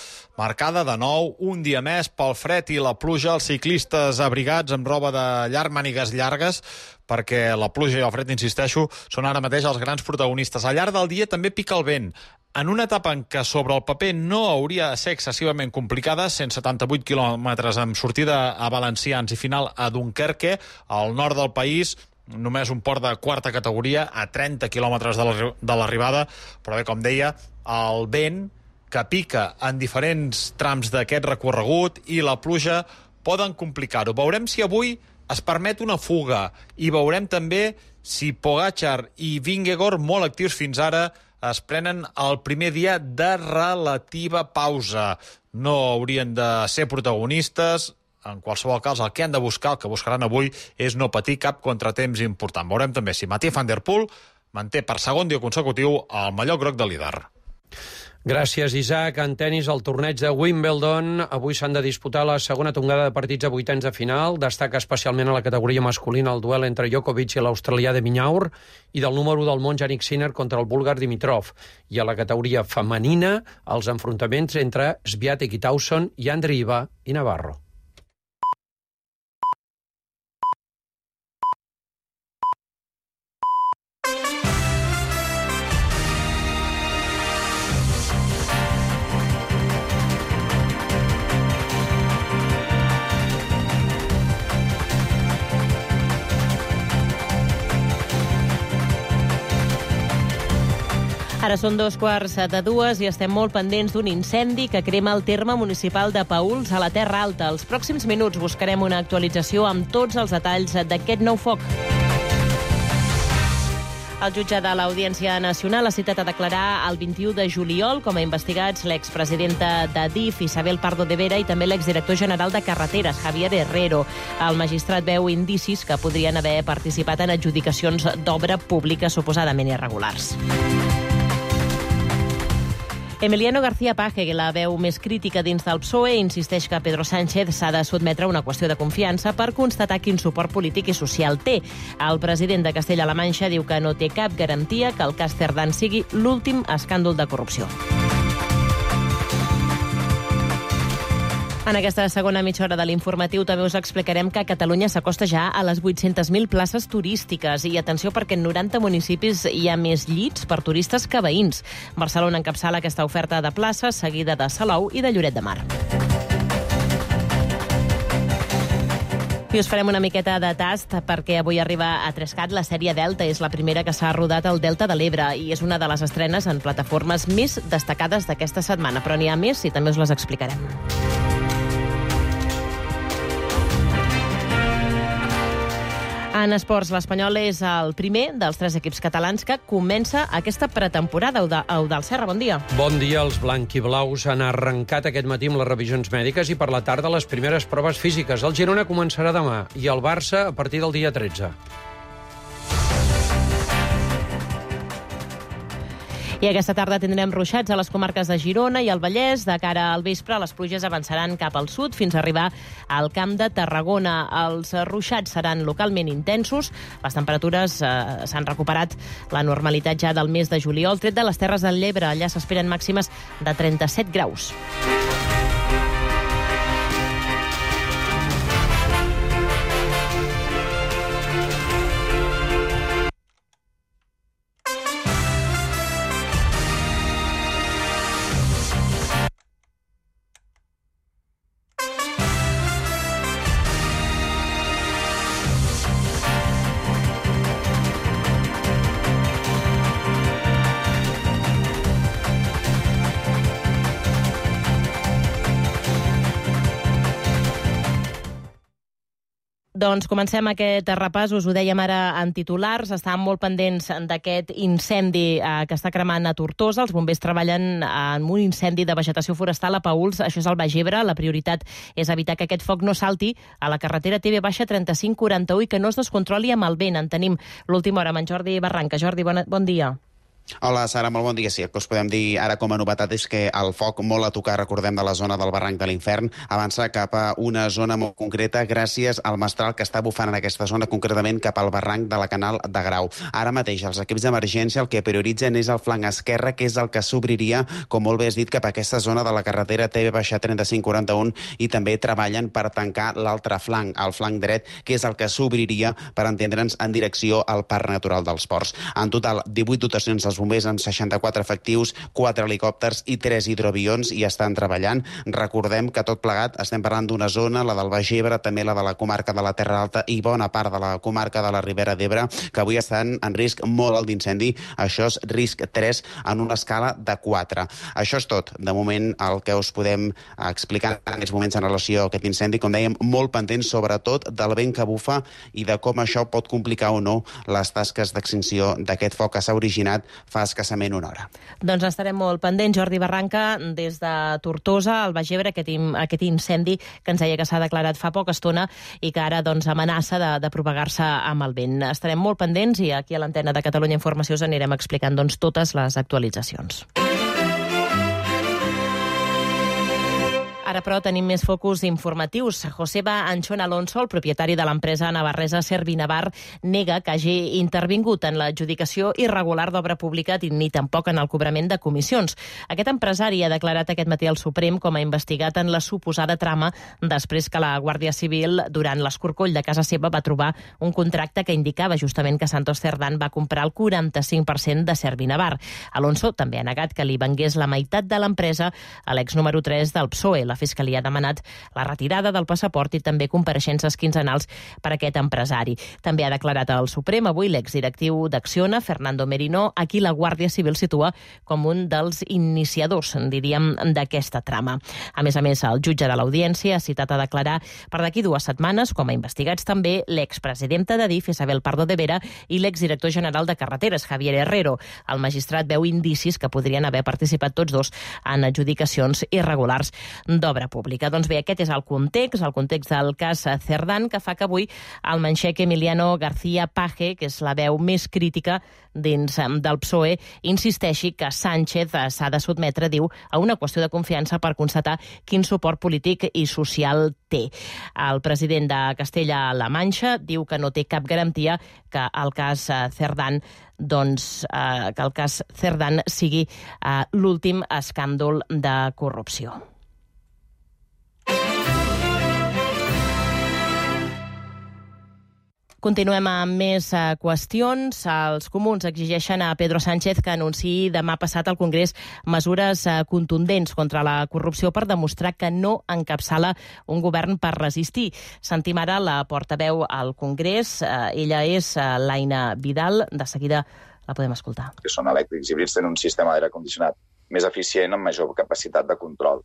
[SPEAKER 7] marcada de nou un dia més pel fred i la pluja. Els ciclistes abrigats amb roba de llarg, mànigues llargues, perquè la pluja i el fred, insisteixo, són ara mateix els grans protagonistes. Al llarg del dia també pica el vent. En una etapa en què sobre el paper no hauria de ser excessivament complicada, cent setanta-vuit quilòmetres amb sortida a Valencians i final a Dunkerque, al nord del país, només un port de quarta categoria a trenta quilòmetres de l'arribada, però bé, com deia, el vent que pica en diferents trams d'aquest recorregut i la pluja poden complicar-ho. Veurem si avui es permet una fuga i veurem també si Pogačar i Vingegaard, molt actius fins ara, es prenen el primer dia de relativa pausa. No haurien de ser protagonistes. En qualsevol cas, el que han de buscar, el que buscaran avui, és no patir cap contratemps important. Veurem també si Mathieu van der Poel manté per segon dia consecutiu el mallot groc de líder.
[SPEAKER 4] Gràcies, Isaac. En tenis, el torneig de Wimbledon. Avui s'han de disputar la segona tongada de partits a vuitens de final. Destaca especialment a la categoria masculina el duel entre Djokovic i l'australià de Minaur i del número del món Jannik Sinner contra el búlgar Dimitrov. I a la categoria femenina, els enfrontaments entre Swiatek i Tauson i Andreeva i Navarro.
[SPEAKER 2] Ara són dos quarts de dues i estem molt pendents d'un incendi que crema el terme municipal de Paüls a la Terra Alta. Els pròxims minuts buscarem una actualització amb tots els detalls d'aquest nou foc. El jutge de l'Audiència Nacional ha citat a declarar el vint-i-u de juliol com a investigats l'expresidenta d'Adif, Isabel Pardo de Vera, i també l'exdirector general de Carreteres, Javier Herrero. El magistrat veu indicis que podrien haver participat en adjudicacions d'obra pública suposadament irregulars. Emiliano García Paje, la veu més crítica dins del P S O E, insisteix que Pedro Sánchez s'ha de sotmetre a una qüestió de confiança per constatar quin suport polític i social té. El president de Castella-La Manxa diu que no té cap garantia que el cas Cerdán sigui l'últim escàndol de corrupció. En aquesta segona mitja hora de l'informatiu també us explicarem que Catalunya s'acosta ja a les vuit-centes mil places turístiques. I atenció, perquè en noranta municipis hi ha més llits per turistes que veïns. Barcelona encapçala aquesta oferta de places, seguida de Salou i de Lloret de Mar. I us farem una miqueta de tast perquè avui arriba a Trescat la sèrie Delta. És la primera que s'ha rodat al Delta de l'Ebre i és una de les estrenes en plataformes més destacades d'aquesta setmana. Però n'hi ha més i també us les explicarem. En esports, l'Espanyol és el primer dels tres equips catalans que comença aquesta pretemporada. Eudald Serra, bon dia.
[SPEAKER 4] Bon dia. Els blanquiblaus han arrencat aquest matí amb les revisions mèdiques i per la tarda les primeres proves físiques. El Girona començarà demà i el Barça a partir del dia tretze.
[SPEAKER 2] I aquesta tarda tindrem ruixats a les comarques de Girona i el Vallès. De cara al vespre, les pluges avançaran cap al sud fins a arribar al Camp de Tarragona. Els ruixats seran localment intensos. Les temperatures eh, s'han recuperat la normalitat ja del mes de juliol, tret de les Terres de l'Ebre. Allà s'esperen màximes de trenta-set graus. Doncs comencem aquest repàs, us ho dèiem ara en titulars, estàvem molt pendents d'aquest incendi eh, que està cremant a Tortosa. Els bombers treballen en un incendi de vegetació forestal a Paüls, això és al Baix Ebre. La prioritat és evitar que aquest foc no salti a la carretera T V trenta-cinc quaranta-u i que no es descontroli amb el vent. En tenim l'última hora amb en Jordi Barranca. Jordi, bon, bon dia.
[SPEAKER 23] Hola, Sara, molt bon dia. Sí, el que us podem dir ara com a novetat és que el foc molt a tocar, recordem, de la zona del barranc de l'Infern, avança cap a una zona molt concreta gràcies al mestral que està bufant en aquesta zona, concretament cap al barranc de la Canal de Grau. Ara mateix els equips d'emergència el que prioritzen és el flanc esquerre, que és el que s'obriria, com molt bé has dit, cap a aquesta zona de la carretera T V trenta-cinc quaranta-un, i també treballen per tancar l'altre flanc, el flanc dret, que és el que s'obriria, per entendre'ns, en direcció al Parc Natural dels Ports. En total, divuit dotacions dels bombers en seixanta-quatre efectius, quatre helicòpters i tres hidroavions i estan treballant. Recordem que tot plegat estem parlant d'una zona, la del Baix Ebre, també la de la comarca de la Terra Alta i bona part de la comarca de la Ribera d'Ebre, que avui estan en risc molt alt d'incendi. Això és risc tres en una escala de quatre. Això és tot. De moment, el que us podem explicar en aquests moments en relació a aquest incendi, com dèiem, molt pendents sobretot del vent que bufa i de com això pot complicar o no les tasques d'extinció d'aquest foc que s'ha originat fa escassament una hora.
[SPEAKER 2] Doncs estarem molt pendents. Jordi Barranca, des de Tortosa, al Baix Ebre, aquest, aquest incendi que ens deia que s'ha declarat fa poca estona i que ara doncs, amenaça de, de propagar-se amb el vent. Estarem molt pendents i aquí a l'antena de Catalunya Informació us anirem explicant doncs, totes les actualitzacions. Ara, però, tenim més focus informatius. Joseba Anchón Alonso, el propietari de l'empresa navarresa Servinavar, nega que hagi intervingut en l'adjudicació irregular d'obra pública ni tampoc en el cobrament de comissions. Aquest empresari ha declarat aquest matí al Suprem com a investigat en la suposada trama després que la Guàrdia Civil, durant l'escorcoll de casa seva, va trobar un contracte que indicava justament que Santos Cerdán va comprar el quaranta-cinc per cent de Servinavar. Alonso també ha negat que li vengués la meitat de l'empresa a l'ex número tres del P S O E. La Fiscalia ha demanat la retirada del passaport i també compareixences quinzenals per a aquest empresari. També ha declarat al Suprem avui l'exdirectiu d'Acciona, Fernando Merino, a qui la Guàrdia Civil situa com un dels iniciadors, diríem, d'aquesta trama. A més a més, el jutge de l'Audiència ha citat a declarar per d'aquí dues setmanes, com a investigats també, l'expresidenta d'Adif, Isabel Pardo de Vera, i l'exdirector general de Carreteres, Javier Herrero. El magistrat veu indicis que podrien haver participat tots dos en adjudicacions irregulars d'obra pública. Doncs bé, aquest és el context, el context del cas Cerdán, que fa que avui el manxec Emiliano García Paje, que és la veu més crítica dins del P S O E, insisteixi que Sánchez s'ha de sotmetre, diu, a una qüestió de confiança per constatar quin suport polític i social té. El president de Castella-La Manxa diu que no té cap garantia que el cas Cerdán doncs, eh, que el cas Cerdán sigui eh, l'últim escàndol de corrupció. Continuem amb més uh, qüestions. Els comuns exigeixen a Pedro Sánchez que anunciï demà passat al Congrés mesures uh, contundents contra la corrupció per demostrar que no encapçala un govern per resistir. Sentim ara la portaveu al Congrés. Uh, ella és uh, l'Aina Vidal. De seguida la podem escoltar.
[SPEAKER 8] Que són elèctrics híbrids, tenen un sistema d'aire condicionat més eficient amb major capacitat de control.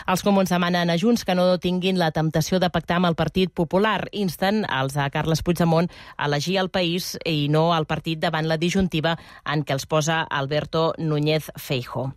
[SPEAKER 2] Els comuns demanen a Junts que no tinguin la temptació de pactar amb el Partit Popular. Insten els de Carles Puigdemont a elegir el país i no el partit davant la disjuntiva en què els posa Alberto Núñez Feijóo.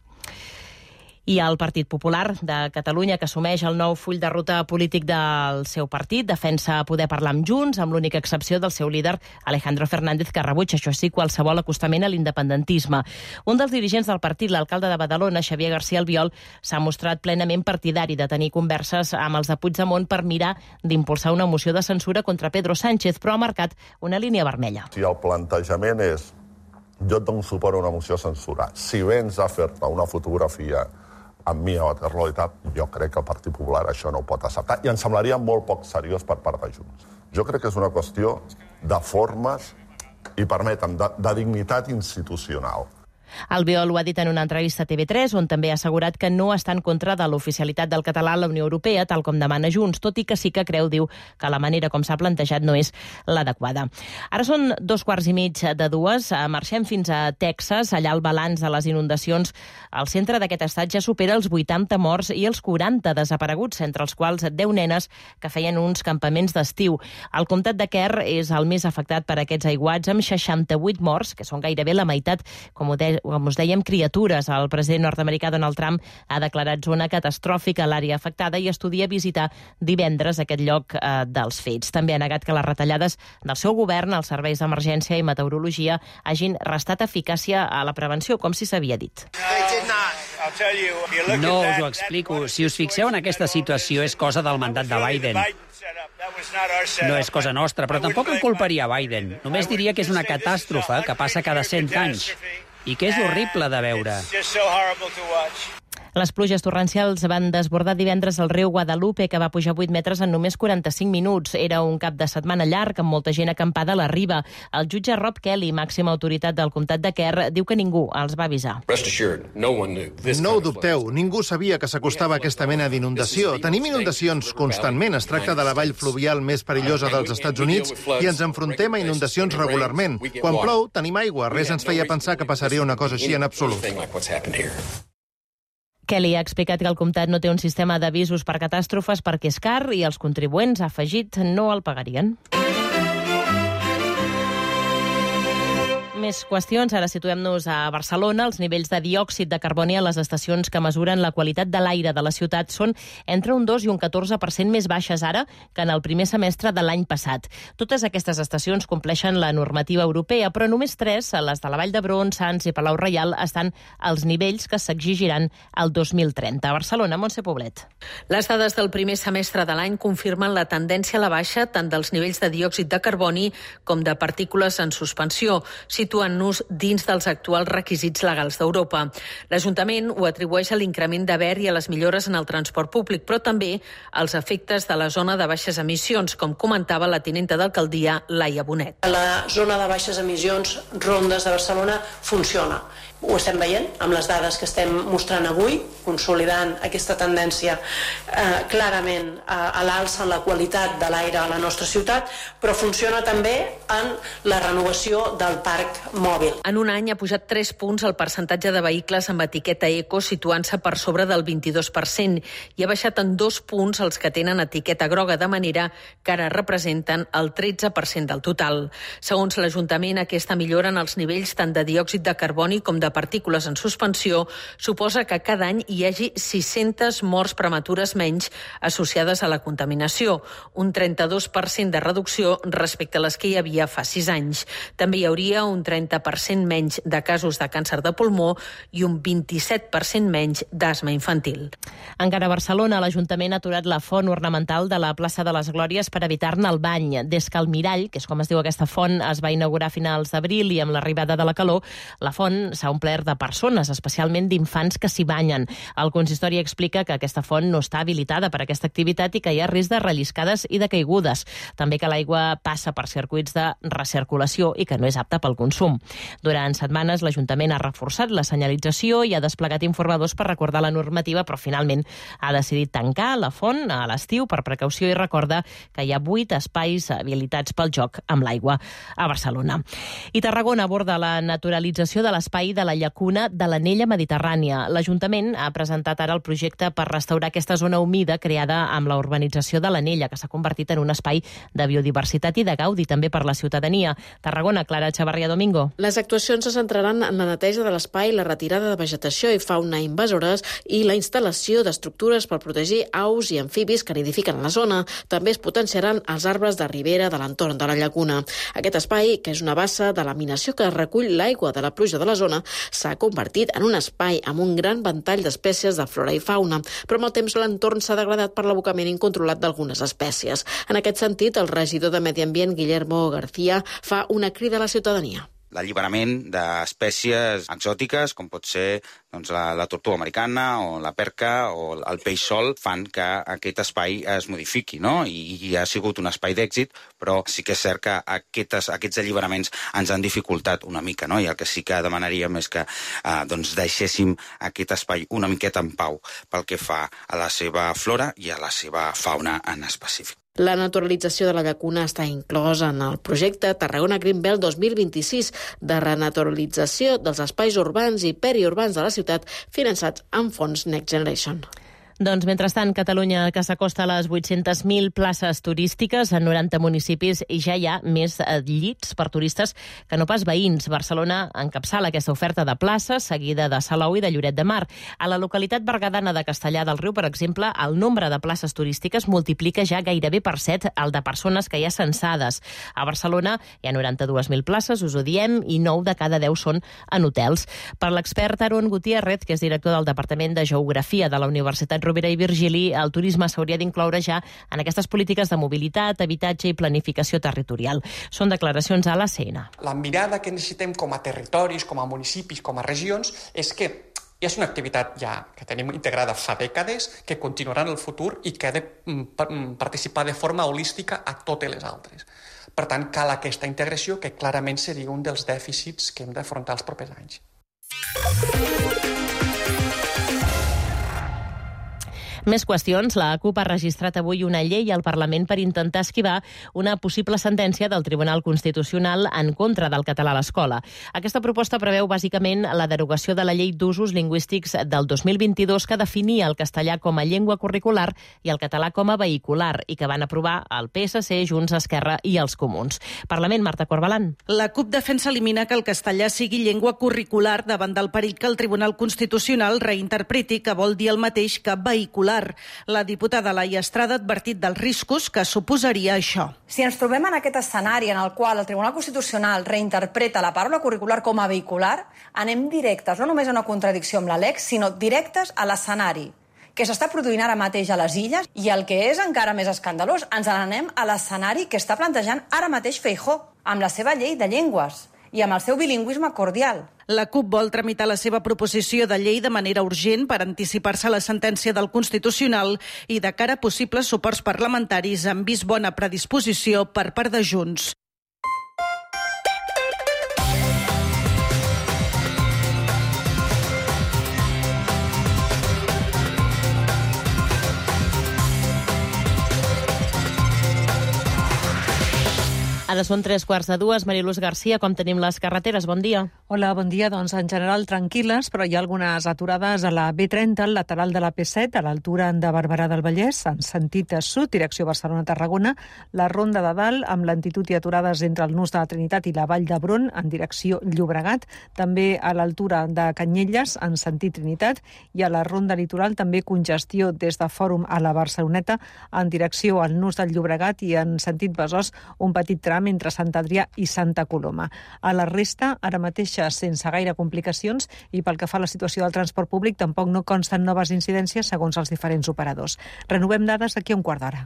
[SPEAKER 2] I el Partit Popular de Catalunya, que assumeix el nou full de ruta polític del seu partit, defensa poder parlar amb Junts, amb l'única excepció del seu líder, Alejandro Fernández, que rebutja, això sí, qualsevol acostament a l'independentisme. Un dels dirigents del partit, l'alcalde de Badalona, Xavier García Albiol, s'ha mostrat plenament partidari de tenir converses amb els de Puigdemont per mirar d'impulsar una moció de censura contra Pedro Sánchez, però ha marcat una línia vermella.
[SPEAKER 9] Si el plantejament és jo et dono suport a una moció de censura, si vens a fer-te una fotografia amb mi a Waterloo i tal, jo crec que el Partit Popular això no ho pot acceptar i em semblaria molt poc seriós per part de Junts. Jo crec que és una qüestió de formes i, permetem, de, de dignitat institucional.
[SPEAKER 2] Albiol ho ha dit en una entrevista a T V tres, on també ha assegurat que no està en contra de l'oficialitat del català a la Unió Europea, tal com demana Junts, tot i que sí que creu, diu, que la manera com s'ha plantejat no és l'adequada. Ara són dos quarts i mig de dues. Marxem fins a Texas. Allà el balanç de les inundacions al centre d'aquest estat ja supera els vuitanta morts i els quaranta desapareguts, entre els quals deu nenes que feien uns campaments d'estiu. El comtat de Kerr és el més afectat per aquests aiguats, amb seixanta-vuit morts, que són gairebé la meitat, com ho deia com us dèiem, criatures. El president nord-americà Donald Trump ha declarat zona catastròfica a l'àrea afectada i estudia visitar divendres aquest lloc eh, dels fets. També ha negat que les retallades del seu govern als serveis d'emergència i meteorologia hagin restat eficàcia a la prevenció, com si s'havia dit.
[SPEAKER 10] No us ho explico. Si us fixeu en aquesta situació, és cosa del mandat de Biden. No és cosa nostra, però tampoc en culparia Biden. Només diria que és una catàstrofe que passa cada cent anys i que és horrible de veure.
[SPEAKER 2] Les pluges torrencials van desbordar divendres el riu Guadalupe, que va pujar vuit metres en només quaranta-cinc minuts. Era un cap de setmana llarg, amb molta gent acampada a la riba. El jutge Rob Kelly, màxima autoritat del comtat de Kerr, diu que ningú els va avisar.
[SPEAKER 11] No ho dubteu, ningú sabia que s'acostava aquesta mena d'inundació. Tenim inundacions constantment. Es tracta de la vall fluvial més perillosa dels Estats Units i ens enfrontem a inundacions regularment. Quan plou, tenim aigua. Res ens feia pensar que passaria una cosa així en absolut.
[SPEAKER 2] Kelly ha explicat que el comtat no té un sistema d'avisos per catàstrofes perquè és car i els contribuents, ha afegit, no el pagarien. Més qüestions. Ara situem-nos a Barcelona. Els nivells de diòxid de carboni a les estacions que mesuren la qualitat de l'aire de la ciutat són entre un dos i un catorze per cent més baixes ara que en el primer semestre de l'any passat. Totes aquestes estacions compleixen la normativa europea, però només tres, les de la Vall d'Hebron, Sants i Palau Reial, estan als nivells que s'exigiran el dos mil trenta. A Barcelona, Montse Poblet.
[SPEAKER 13] Les dades del primer semestre de l'any confirmen la tendència a la baixa tant dels nivells de diòxid de carboni com de partícules en suspensió, situant-nos dins dels actuals requisits legals d'Europa. L'Ajuntament ho atribueix a l'increment de ver i a les millores en el transport públic, però també als efectes de la zona de baixes emissions, com comentava la tinenta d'alcaldia, Laia Bonet.
[SPEAKER 14] La zona de baixes emissions, Rondes de Barcelona, funciona. Ho estem veient amb les dades que estem mostrant avui, consolidant aquesta tendència eh, clarament a, a l'alça en la qualitat de l'aire a la nostra ciutat, però funciona també en la renovació del parc mòbil.
[SPEAKER 13] En un any ha pujat tres punts el percentatge de vehicles amb etiqueta eco, situant-se per sobre del vint-i-dos per cent, i ha baixat en dos punts els que tenen etiqueta groga, de manera que ara representen el tretze per cent del total. Segons l'Ajuntament, aquesta millora en els nivells tant de diòxid de carboni com de partícules en suspensió suposa que cada any hi hagi sis-centes morts prematures menys associades a la contaminació, un trenta-dos per cent de reducció respecte a les que hi havia fa sis anys. També hi hauria un trenta per cent menys de casos de càncer de pulmó i un vint-i-set per cent menys d'asma infantil.
[SPEAKER 2] Encara a Barcelona, l'Ajuntament ha aturat la font ornamental de la plaça de les Glòries per evitar-ne el bany. Des que el Mirall, que és com es diu aquesta font, es va inaugurar a finals d'abril i amb l'arribada de la calor, la font s'ha omplert de persones, especialment d'infants que s'hi banyen. El consistori explica que aquesta font no està habilitada per a aquesta activitat i que hi ha risc de relliscades i de caigudes. També que l'aigua passa per circuits de recirculació i que no és apta pel consum. Durant setmanes, l'Ajuntament ha reforçat la senyalització i ha desplegat informadors per recordar la normativa, però finalment ha decidit tancar la font a l'estiu per precaució i recorda que hi ha vuit espais habilitats pel joc amb l'aigua a Barcelona. I Tarragona aborda la naturalització de l'espai de la llacuna de l'Anella Mediterrània. L'Ajuntament ha presentat ara el projecte per restaurar aquesta zona humida creada amb la urbanització de l'Anella, que s'ha convertit en un espai de biodiversitat i de gaudi també per la ciutadania. Tarragona, Clara Chavarria Domingo.
[SPEAKER 25] Les actuacions se centraran en la neteja de l'espai, la retirada de vegetació i fauna invasores i la instal·lació d'estructures per protegir aus i amfibis que nidifiquen a la zona. També es potenciaran els arbres de ribera de l'entorn de la llacuna. Aquest espai, que és una bassa de laminació que recull l'aigua de la pluja de la zona, s'ha convertit en un espai amb un gran ventall d'espècies de flora i fauna, però amb el temps l'entorn s'ha degradat per l'abocament incontrolat d'algunes espècies. En aquest sentit, el regidor de Medi Ambient, Guillermo García, fa una crida a la ciutadania.
[SPEAKER 23] L'alliberament d'espècies exòtiques, com pot ser doncs, la, la tortuga americana o la perca o el peix sol, fan que aquest espai es modifiqui, no? I, i ha sigut un espai d'èxit, però sí que és cert que aquestes, aquests alliberaments ens han dificultat una mica, no? I el que sí que demanaríem és que eh, doncs deixéssim aquest espai una miqueta en pau pel que fa a la seva flora i a la seva fauna en específic.
[SPEAKER 25] La naturalització de la llacuna està inclosa en el projecte Tarragona Green Belt dos mil vint-i-sis de renaturalització dels espais urbans i periurbans de la ciutat finançats amb fons Next Generation.
[SPEAKER 2] Doncs, mentrestant, Catalunya, que s'acosta a les vuit-centes mil places turístiques en noranta municipis, i ja hi ha més llits per turistes que no pas veïns. Barcelona encapçala aquesta oferta de places, seguida de Salou i de Lloret de Mar. A la localitat berguedana de Castellar del Riu, per exemple, el nombre de places turístiques multiplica ja gairebé per set el de persones que hi ha censades. A Barcelona hi ha noranta-dues mil places, us ho diem, i nou de cada deu són en hotels. Per l'expert Aaron Gutiérrez, que és director del Departament de Geografia de la Universitat Rovira i Virgili, el turisme s'hauria d'incloure ja en aquestes polítiques de mobilitat, habitatge i planificació territorial. Són declaracions a l'A C N.
[SPEAKER 12] La mirada que necessitem com a territoris, com a municipis, com a regions, és que és una activitat ja que tenim integrada fa dècades, que continuarà en el futur i que ha de participar de forma holística a totes les altres. Per tant, cal aquesta integració, que clarament seria un dels dèficits que hem d'afrontar els propers anys.
[SPEAKER 2] Més qüestions. La CUP ha registrat avui una llei al Parlament per intentar esquivar una possible sentència del Tribunal Constitucional en contra del català a l'escola. Aquesta proposta preveu bàsicament la derogació de la Llei d'Usos Lingüístics del dos mil vint-i-dos, que definia el castellà com a llengua curricular i el català com a vehicular, i que van aprovar el P S C, Junts, Esquerra i els Comuns. Parlament, Marta Corbalan.
[SPEAKER 15] La CUP defensa eliminar que el castellà sigui llengua curricular davant del perill que el Tribunal Constitucional reinterpreti que vol dir el mateix que vehicular. La diputada Laia Estrada ha advertit dels riscos que suposaria això.
[SPEAKER 16] Si ens trobem en aquest escenari en el qual el Tribunal Constitucional reinterpreta la paraula curricular com a vehicular, anem directes, no només a una contradicció amb la L E C, sinó directes a l'escenari que s'està produint ara mateix a les Illes, i el que és encara més escandalós, ens n'anem a l'escenari que està plantejant ara mateix Feijóo, amb la seva llei de llengües i amb el seu bilingüisme cordial.
[SPEAKER 15] La CUP vol tramitar la seva proposició de llei de manera urgent per anticipar-se a la sentència del Constitucional i de cara a possibles suports parlamentaris han vist bona predisposició per part de Junts.
[SPEAKER 2] Ara són tres quarts de dues. Mariluz Garcia, com tenim les carreteres? Bon dia.
[SPEAKER 19] Hola, bon dia. Doncs en general tranquil·les, però hi ha algunes aturades a la B trenta, al lateral de la P set, a l'altura de Barberà del Vallès, en sentit sud, direcció Barcelona-Tarragona, la Ronda de Dalt, amb lentitud i aturades entre el Nus de la Trinitat i la Vall d'Hebron, en direcció Llobregat, també a l'altura de Canyelles, en sentit Trinitat, i a la Ronda Litoral també congestió des de Fòrum a la Barceloneta, en direcció al Nus del Llobregat i en sentit Besòs, un petit tram entre Sant Adrià i Santa Coloma. A la resta, ara mateix sense gaire complicacions, i pel que fa a la situació del transport públic tampoc no consten noves incidències segons els diferents operadors. Renovem dades d'aquí a un quart d'hora.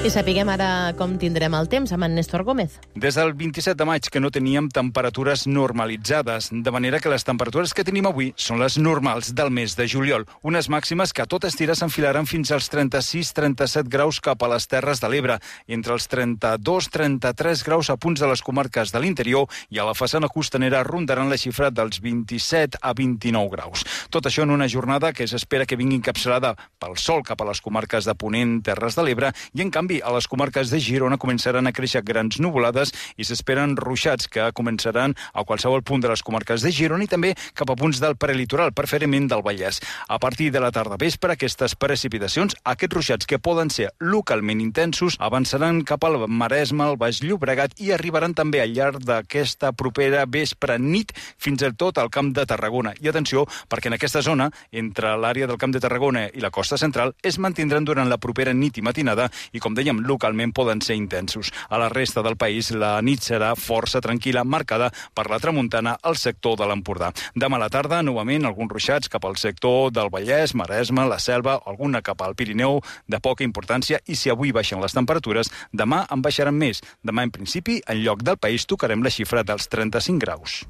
[SPEAKER 2] I sapiguem ara com tindrem el temps amb en Néstor Gómez.
[SPEAKER 20] Des del vint-i-set de maig que no teníem temperatures normalitzades, de manera que les temperatures que tenim avui són les normals del mes de juliol. Unes màximes que a totes tires s'enfilaran fins als trenta-sis trenta-set graus cap a les Terres de l'Ebre, entre els trenta-dos trenta-tres graus a punts de les comarques de l'interior, i a la façana costanera rondaran la xifra dels vint-i-set a vint-i-nou graus. Tot això en una jornada que s'espera que vingui encapçalada pel sol cap a les comarques de Ponent, Terres de l'Ebre, i en canvi a les comarques de Girona començaran a créixer grans nuvolades i s'esperen ruixats que començaran a qualsevol punt de les comarques de Girona i també cap a punts del prelitoral, preferentment del Vallès. A partir de la tarda vespre, aquestes precipitacions, aquests ruixats que poden ser localment intensos, avançaran cap al Maresme, al Baix Llobregat, i arribaran també al llarg d'aquesta propera vespre nit fins i tot al Camp de Tarragona. I atenció, perquè en aquesta zona, entre l'àrea del Camp de Tarragona i la costa central, es mantindran durant la propera nit i matinada i, com dèiem, localment poden ser intensos. A la resta del país la nit serà força tranquil·la, marcada per la tramuntana al sector de l'Empordà. Demà a la tarda, novament, alguns ruixats cap al sector del Vallès, Maresme, la Selva, alguna cap al Pirineu, de poca importància, i si avui baixen les temperatures, demà en baixaran més. Demà, en principi, en lloc del país, tocarem la xifra dels trenta-cinc graus.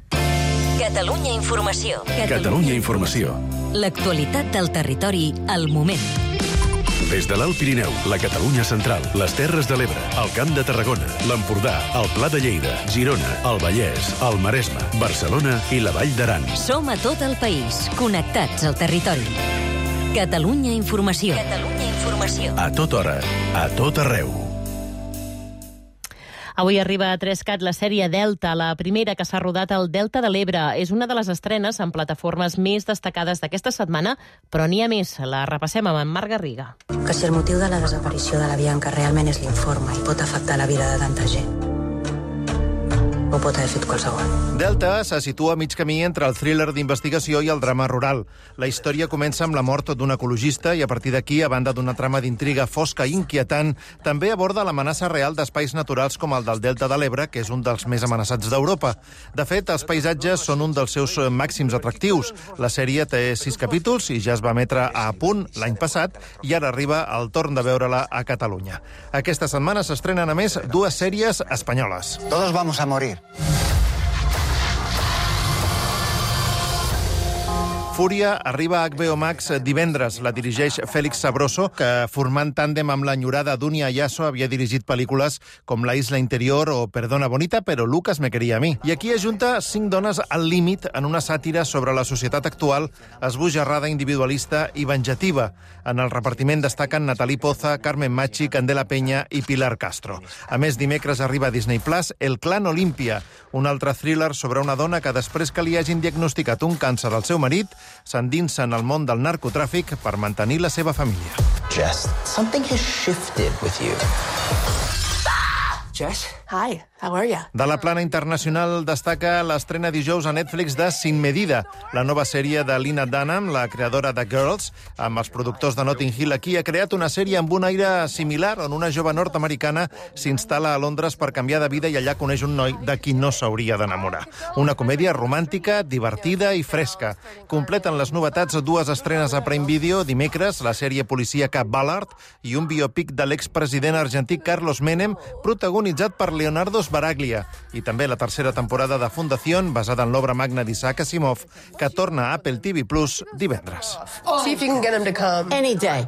[SPEAKER 1] Catalunya Informació.
[SPEAKER 17] Catalunya Informació.
[SPEAKER 1] L'actualitat del territori al moment.
[SPEAKER 17] Des de l'Alt Pirineu, la Catalunya Central, les Terres de l'Ebre, el Camp de Tarragona, l'Empordà, el Pla de Lleida, Girona, el Vallès, el Maresme, Barcelona i la Vall d'Aran.
[SPEAKER 1] Som a tot el país, connectats al territori. Catalunya Informació. Catalunya Informació. informació.
[SPEAKER 17] A tota hora, a tot arreu.
[SPEAKER 2] Avui arriba a Trescat la sèrie Delta, la primera que s'ha rodat al Delta de l'Ebre. És una de les estrenes en plataformes més destacades d'aquesta setmana, però n'hi ha més. La repassem amb en Marc Garriga.
[SPEAKER 3] Que si el motiu de la desaparició de la Bianca realment és l'informe i pot afectar la vida de tanta gent, ho pot haver fet qualsevol.
[SPEAKER 11] Delta se situa a mig camí entre el thriller d'investigació i el drama rural. La història comença amb la mort d'un ecologista i a partir d'aquí, a banda d'una trama d'intriga fosca i inquietant, també aborda l'amenaça real d'espais naturals com el del Delta de l'Ebre, que és un dels més amenaçats d'Europa. De fet, els paisatges són un dels seus màxims atractius. La sèrie té sis capítols i ja es va emetre a Punt l'any passat i ara arriba el torn de veure-la a Catalunya. Aquesta setmana s'estrenen, a més, dues sèries espanyoles.
[SPEAKER 5] Todos vamos a morir.
[SPEAKER 11] Fúria arriba a H B O Max divendres. La dirigeix Félix Sabroso, que formant tàndem amb l'enyorada Dunia Ayaso havia dirigit pel·lícules com La isla interior o Perdona bonita, però Lucas me quería a mi. I aquí ajunta cinc dones al límit en una sàtira sobre la societat actual, esbojarrada, individualista i venjativa. En el repartiment destaquen Nathalie Poza, Carmen Machi, Candela Peña i Pilar Castro. A més, dimecres arriba a Disney Plus El clan Olímpia, un altre thriller sobre una dona que després que li hagin diagnosticat un càncer al seu marit, s'endinsa en el món del narcotràfic per mantenir la seva família.
[SPEAKER 5] Jess, something has shifted with you. Jess?
[SPEAKER 3] Hi, how are you?
[SPEAKER 11] De la plana internacional destaca l'estrena dijous a Netflix de Sin Medida, la nova sèrie de Lena Dunham, la creadora de Girls, amb els productors de Notting Hill. Aquí ha creat una sèrie amb un aire similar, on una jove nord-americana s'instal·la a Londres per canviar de vida i allà coneix un noi de qui no s'hauria d'enamorar. Una comèdia romàntica, divertida i fresca. Completen les novetats dues estrenes a Prime Video. Dimecres, la sèrie policíaca Ballard i un biòpic de l'expresident argentí Carlos Menem, protagonitzat per Leonardo Sbaraglia, i també la tercera temporada de Fundación, basada en l'obra magna d'Isaac Asimov, que torna a Apple T V Plus divendres.
[SPEAKER 3] See if you can get him to come. Any day.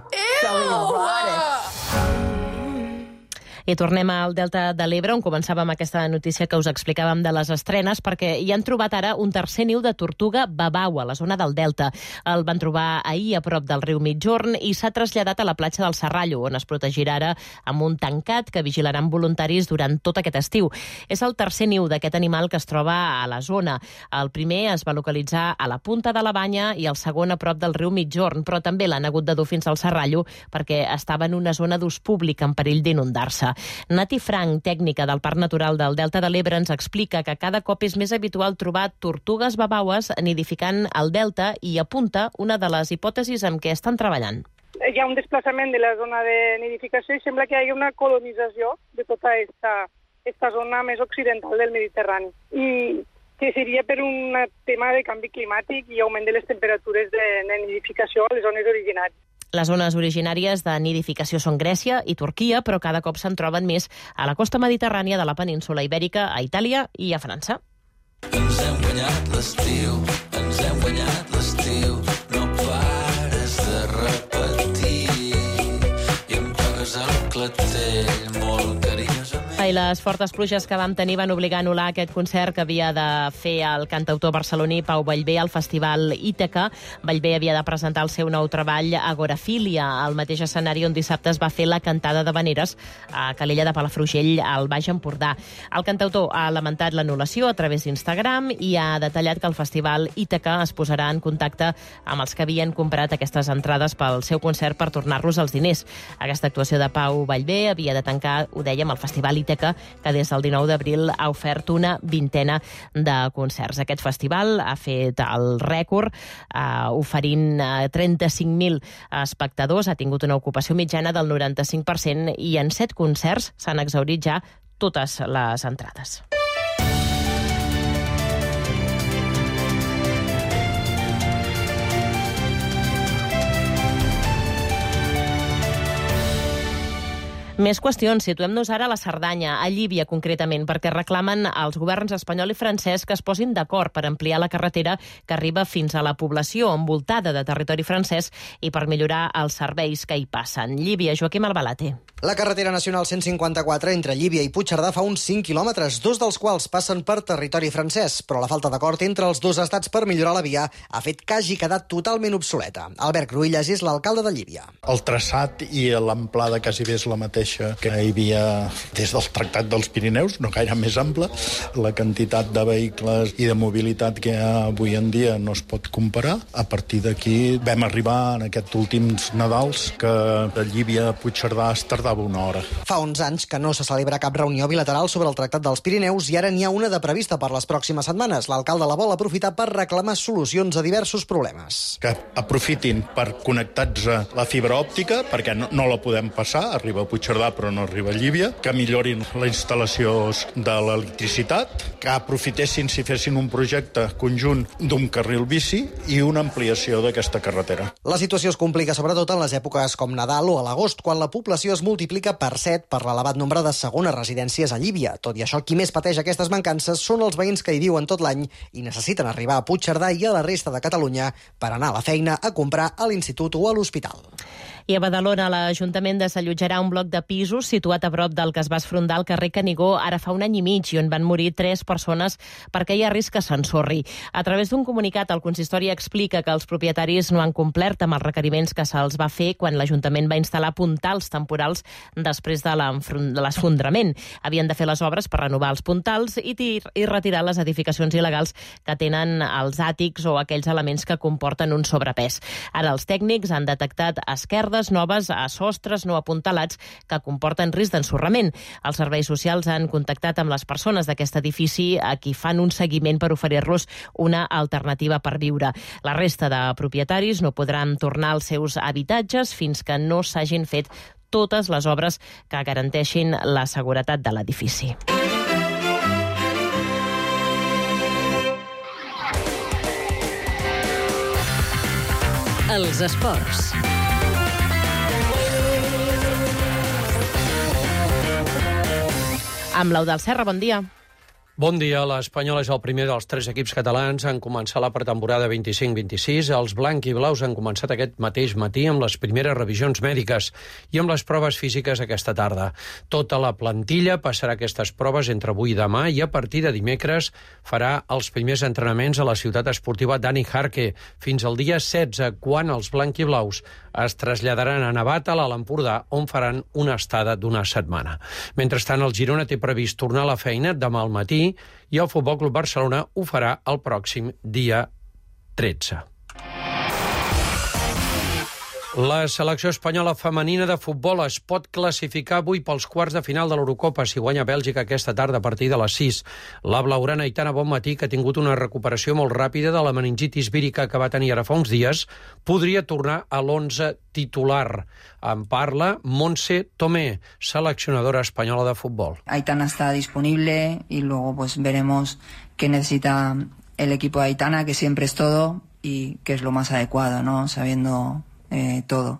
[SPEAKER 2] I tornem al Delta de l'Ebre, on començàvem aquesta notícia que us explicàvem de les estrenes, perquè hi han trobat ara un tercer niu de tortuga babau a la zona del Delta. El van trobar ahir a prop del riu Mitjorn i s'ha traslladat a la platja del Serrallo, on es protegirà ara amb un tancat que vigilaran voluntaris durant tot aquest estiu. És el tercer niu d'aquest animal que es troba a la zona. El primer es va localitzar a la punta de la Banya i el segon a prop del riu Mitjorn, però també l'han hagut de dur fins al Serrallo perquè estava en una zona d'ús públic en perill d'inundar-se. Nati Frank, tècnica del Parc Natural del Delta de l'Ebre, ens explica que cada cop és més habitual trobar tortugues babaues nidificant al Delta i apunta una de les hipòtesis amb què estan treballant.
[SPEAKER 6] Hi ha un desplaçament de la zona de nidificació i sembla que hi hagi una colonització de tota esta, esta zona més occidental del Mediterrani. I que seria per un tema de canvi climàtic i augment de les temperatures de, de nidificació a les zones originàries.
[SPEAKER 2] Les zones originàries de nidificació són Grècia i Turquia, però cada cop se'n troben més a la costa mediterrània de la península Ibèrica, a Itàlia i a França.
[SPEAKER 18] Ens hem guanyat l'estiu, ens hem guanyat l'estiu, no pares de repetir i em toques el clatell molt carinyosament.
[SPEAKER 2] I les fortes pluges que vam tenir van obligar a anul·lar aquest concert que havia de fer el cantautor barceloní Pau Vallvé al Festival Ítaca. Vallvé havia de presentar el seu nou treball Agorafília, al mateix escenari on dissabte es va fer la cantada d'havaneres a Calella de Palafrugell, al Baix Empordà. El cantautor ha lamentat l'anul·lació a través d'Instagram i ha detallat que el Festival Ítaca es posarà en contacte amb els que havien comprat aquestes entrades pel seu concert per tornar-los els diners. Aquesta actuació de Pau Vallvé havia de tancar, ho dèiem, el Festival Ítaca, que des del dinou d'abril ha ofert una vintena de concerts. Aquest festival ha fet el rècord, eh, oferint eh, trenta-cinc mil espectadors, ha tingut una ocupació mitjana del noranta-cinc per cent i en set concerts s'han exhaurit ja totes les entrades. Més qüestions. Situem-nos ara a la Cerdanya, a Llívia concretament, perquè reclamen als governs espanyol i francès que es posin d'acord per ampliar la carretera que arriba fins a la població envoltada de territori francès i per millorar els serveis que hi passen. Llívia, Joaquim Albalate.
[SPEAKER 4] La carretera nacional cent cinquanta-quatre entre Llívia i Puigcerdà fa uns cinc quilòmetres, dos dels quals passen per territori francès, però la falta d'acord entre els dos estats per millorar la via ha fet que hagi quedat totalment obsoleta. Albert Cruïlles és l'alcalde de Llívia.
[SPEAKER 7] El traçat i l'amplada quasi bé és la mateixa que hi havia des del Tractat dels Pirineus, no gaire més ample. La quantitat de vehicles i de mobilitat que hi ha avui en dia no es pot comparar. A partir d'aquí vam arribar en aquests últims Nadals que de Llívia a Puigcerdà es tardava una hora.
[SPEAKER 4] Fa uns anys que no se celebra cap reunió bilateral sobre el Tractat dels Pirineus i ara n'hi ha una de prevista per les pròximes setmanes. L'alcalde la vol aprofitar per reclamar solucions a diversos problemes.
[SPEAKER 7] Que aprofitin per connectar-se la fibra òptica, perquè no, no la podem passar, arriba a Puigcerdà però no arriba a Llívia, que millorin la instal·lació de l'electricitat, que aprofitessin si fessin un projecte conjunt d'un carril bici i una ampliació d'aquesta carretera.
[SPEAKER 4] La situació es complica sobretot en les èpoques com Nadal o a l'agost, quan la població es multiplica per set per l'elevat nombre de segones residències a Llívia. Tot i això, qui més pateix aquestes mancances són els veïns que hi viuen tot l'any i necessiten arribar a Puigcerdà i a la resta de Catalunya per anar a la feina, a comprar, a l'institut o a l'hospital.
[SPEAKER 2] I a Badalona, l'Ajuntament desallotjarà un bloc de pisos situat a prop del que es va esfondar al carrer Canigó ara fa un any i mig i on van morir tres persones perquè hi ha risc que s'ensorri. A través d'un comunicat, el consistori explica que els propietaris no han complert amb els requeriments que se'ls va fer quan l'Ajuntament va instal·lar puntals temporals després de l'esfondrament. Havien de fer les obres per renovar els puntals i, i retirar les edificacions il·legals que tenen els àtics o aquells elements que comporten un sobrepès. Ara els tècnics han detectat esquerdes noves a sostres no apuntalats que comporten risc d'ensorrament. Els serveis socials han contactat amb les persones d'aquest edifici a qui fan un seguiment per oferir-los una alternativa per viure. La resta de propietaris no podran tornar als seus habitatges fins que no s'hagin fet totes les obres que garanteixin la seguretat de l'edifici.
[SPEAKER 1] Els esports.
[SPEAKER 2] Amb l'Eudald Serra, bon dia.
[SPEAKER 21] Bon dia. L'Espanyol és el primer dels tres equips catalans en començar la pretemporada vint-i-cinc vint-i-sis. Els blanc i blaus han començat aquest mateix matí amb les primeres revisions mèdiques i amb les proves físiques aquesta tarda. Tota la plantilla passarà aquestes proves entre avui i demà i a partir de dimecres farà els primers entrenaments a la ciutat esportiva Dani Jarque fins al dia setze, quan els blanc i blaus es traslladaran a Navata, a l'Empordà, on faran una estada d'una setmana. Mentrestant, el Girona té previst tornar a la feina demà al matí i el Futbol Club Barcelona ho farà el pròxim dia tretze. La selecció espanyola femenina de futbol es pot classificar avui pels quarts de final de l'Eurocopa si guanya Bèlgica aquesta tarda a partir de les sis. La blaugrana Aitana Bonmatí, que ha tingut una recuperació molt ràpida de la meningitis vírica que va tenir ara fa uns dies, podria tornar a l'onze titular. En parla Montse Tomé, seleccionadora espanyola de futbol.
[SPEAKER 22] Aitana está disponible y luego pues veremos qué necesita el equipo de Aitana, que siempre es todo y que es lo más adecuado, ¿no? Sabiendo Eh, todo.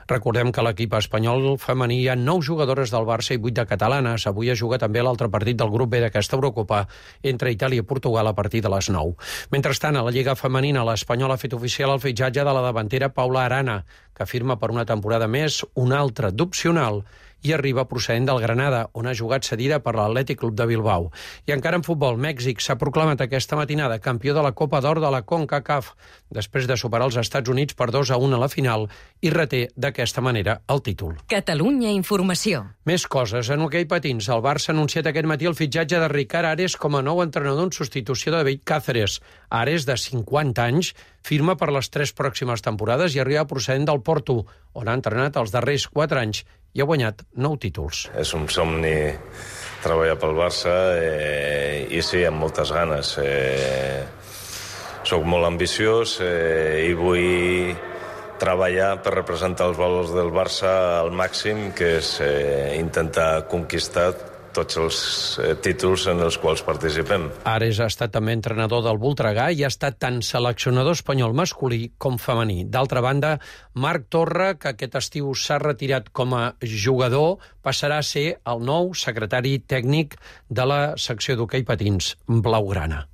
[SPEAKER 21] Recordem que a l'equip espanyol femení hi ha nou jugadores del Barça i vuit de catalanes. Avui es juga també l'altre partit del grup B d'aquesta Eurocopa entre Itàlia i Portugal a partir de les nou. Mentrestant, a la Lliga Femenina, l'Espanyol ha fet oficial el fitxatge de la davantera Paula Arana, que firma per una temporada més, una altra d'opcional, i arriba procedent del Granada, on ha jugat cedida per l'Atlètic Club de Bilbao. I encara en futbol, Mèxic s'ha proclamat aquesta matinada campió de la Copa d'Or de la CONCACAF, després de superar els Estats Units per dos a un a la final i reté d'aquesta manera el títol.
[SPEAKER 1] Catalunya Informació.
[SPEAKER 21] Més coses. En hoquei patins, el Barça ha anunciat aquest matí el fitxatge de Ricard Ares com a nou entrenador en substitució de David Cáceres. Ares, de cinquanta anys, firma per les tres pròximes temporades i arriba procedent del Porto, on ha entrenat els darrers quatre anys i ha guanyat nou títols.
[SPEAKER 24] És un somni treballar pel Barça eh, i sí, amb moltes ganes. Eh, soc molt ambiciós eh, i vull treballar per representar els valors del Barça al màxim, que és eh, intentar conquistar tots els eh, títols en els quals participem.
[SPEAKER 21] Ares ha estat també entrenador del Voltregà i ha estat tant seleccionador espanyol masculí com femení. D'altra banda, Marc Torra, que aquest estiu s'ha retirat com a jugador, passarà a ser el nou secretari tècnic de la secció d'hoquei patins blaugrana.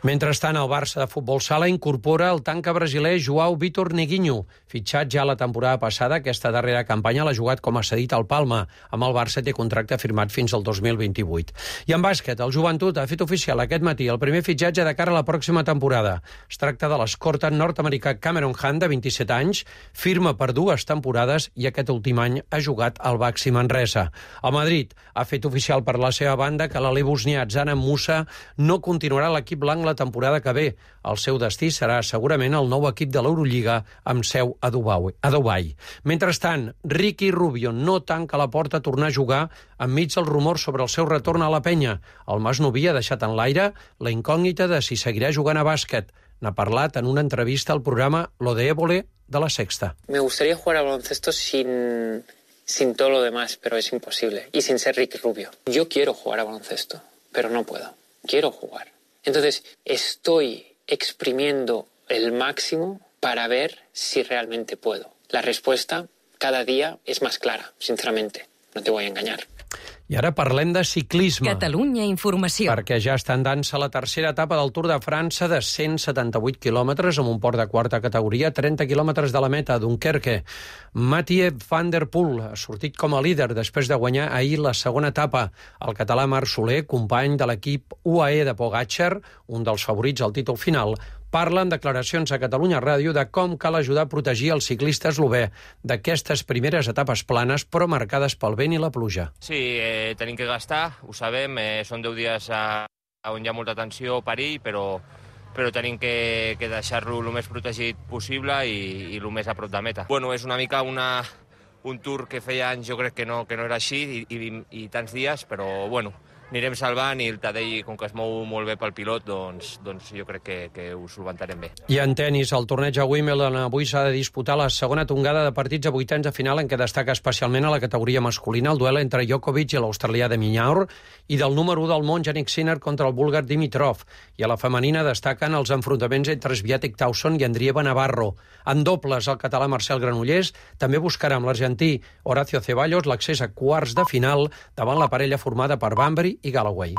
[SPEAKER 21] Mentrestant, el Barça de futbol sala incorpora el tanca brasiler João Vitor Neguinho. Fitxat ja la temporada passada, aquesta darrera campanya l'ha jugat com a cedit al Palma. Amb el Barça té contracte firmat fins al dos mil vint-i-vuit. I en bàsquet, el Joventut ha fet oficial aquest matí el primer fitxatge de cara a la pròxima temporada. Es tracta de l'escorta nord-americà Cameron Hunt, de vint-i-set anys, firma per dues temporades i aquest últim any ha jugat al Baxi Manresa. El Madrid ha fet oficial per la seva banda que l'alè bosnià Zana Musa no continuarà a l'equip blanc la temporada que ve. El seu destí serà segurament el nou equip de l'Eurolliga amb seu a Dubai. A Dubai. Mentrestant, Ricky Rubio no tanca la porta a tornar a jugar enmig dels rumors sobre el seu retorn a la penya. El Masnoví ha deixat en l'aire la incògnita de si seguirà jugant a bàsquet. N'ha parlat en una entrevista al programa Lo de Évole de La Sexta.
[SPEAKER 8] Me gustaría jugar a baloncesto sin, sin todo lo demás, pero es imposible. Y sin ser Ricky Rubio. Yo quiero jugar a baloncesto, pero no puedo. Quiero jugar. Entonces, estoy exprimiendo el máximo para ver si realmente puedo. La respuesta cada día es más clara, sinceramente. No te voy a engañar.
[SPEAKER 21] I ara parlem de ciclisme.
[SPEAKER 1] Catalunya Informació.
[SPEAKER 21] Perquè ja està en dansa la tercera etapa del Tour de França de cent setanta-vuit quilòmetres amb un port de quarta categoria, trenta quilòmetres de la meta, a Dunkerque. Mathieu van der Poel ha sortit com a líder després de guanyar ahir la segona etapa. El català Marc Soler, company de l'equip U A E de Pogačar, un dels favorits al títol final, parla en declaracions a Catalunya Ràdio de com cal ajudar a protegir el ciclista eslové d'aquestes primeres etapes planes però marcades pel vent i la pluja.
[SPEAKER 9] Sí, eh, tenim que gastar, ho sabem, eh, són deu dies a, a on hi ha molta tensió o perill, però, però tenim que, que deixar-lo el més protegit possible i, i el més a prop de meta. Bueno, és una mica una, un tour que feia anys jo crec que no, que no era així i, i, i tants dies, però bueno, anirem salvant i el Tadei, com que es mou molt bé pel pilot, doncs, doncs jo crec que, que ho solventarem bé.
[SPEAKER 21] I en tennis, el torneig a Wimbledon avui s'ha de disputar la segona tongada de partits a vuitens de final en què destaca especialment a la categoria masculina el duel entre Djokovic i l'australià de Minaur i del número u del món, Jannik Sinner, contra el búlgar Dimitrov. I a la femenina destaquen els enfrontaments entre Swiatek Tauson i Andrieva Navarro. En dobles, el català Marcel Granollers també buscarà amb l'argentí Horacio Ceballos l'accés a quarts de final davant la parella formada per Bambury i Galloway.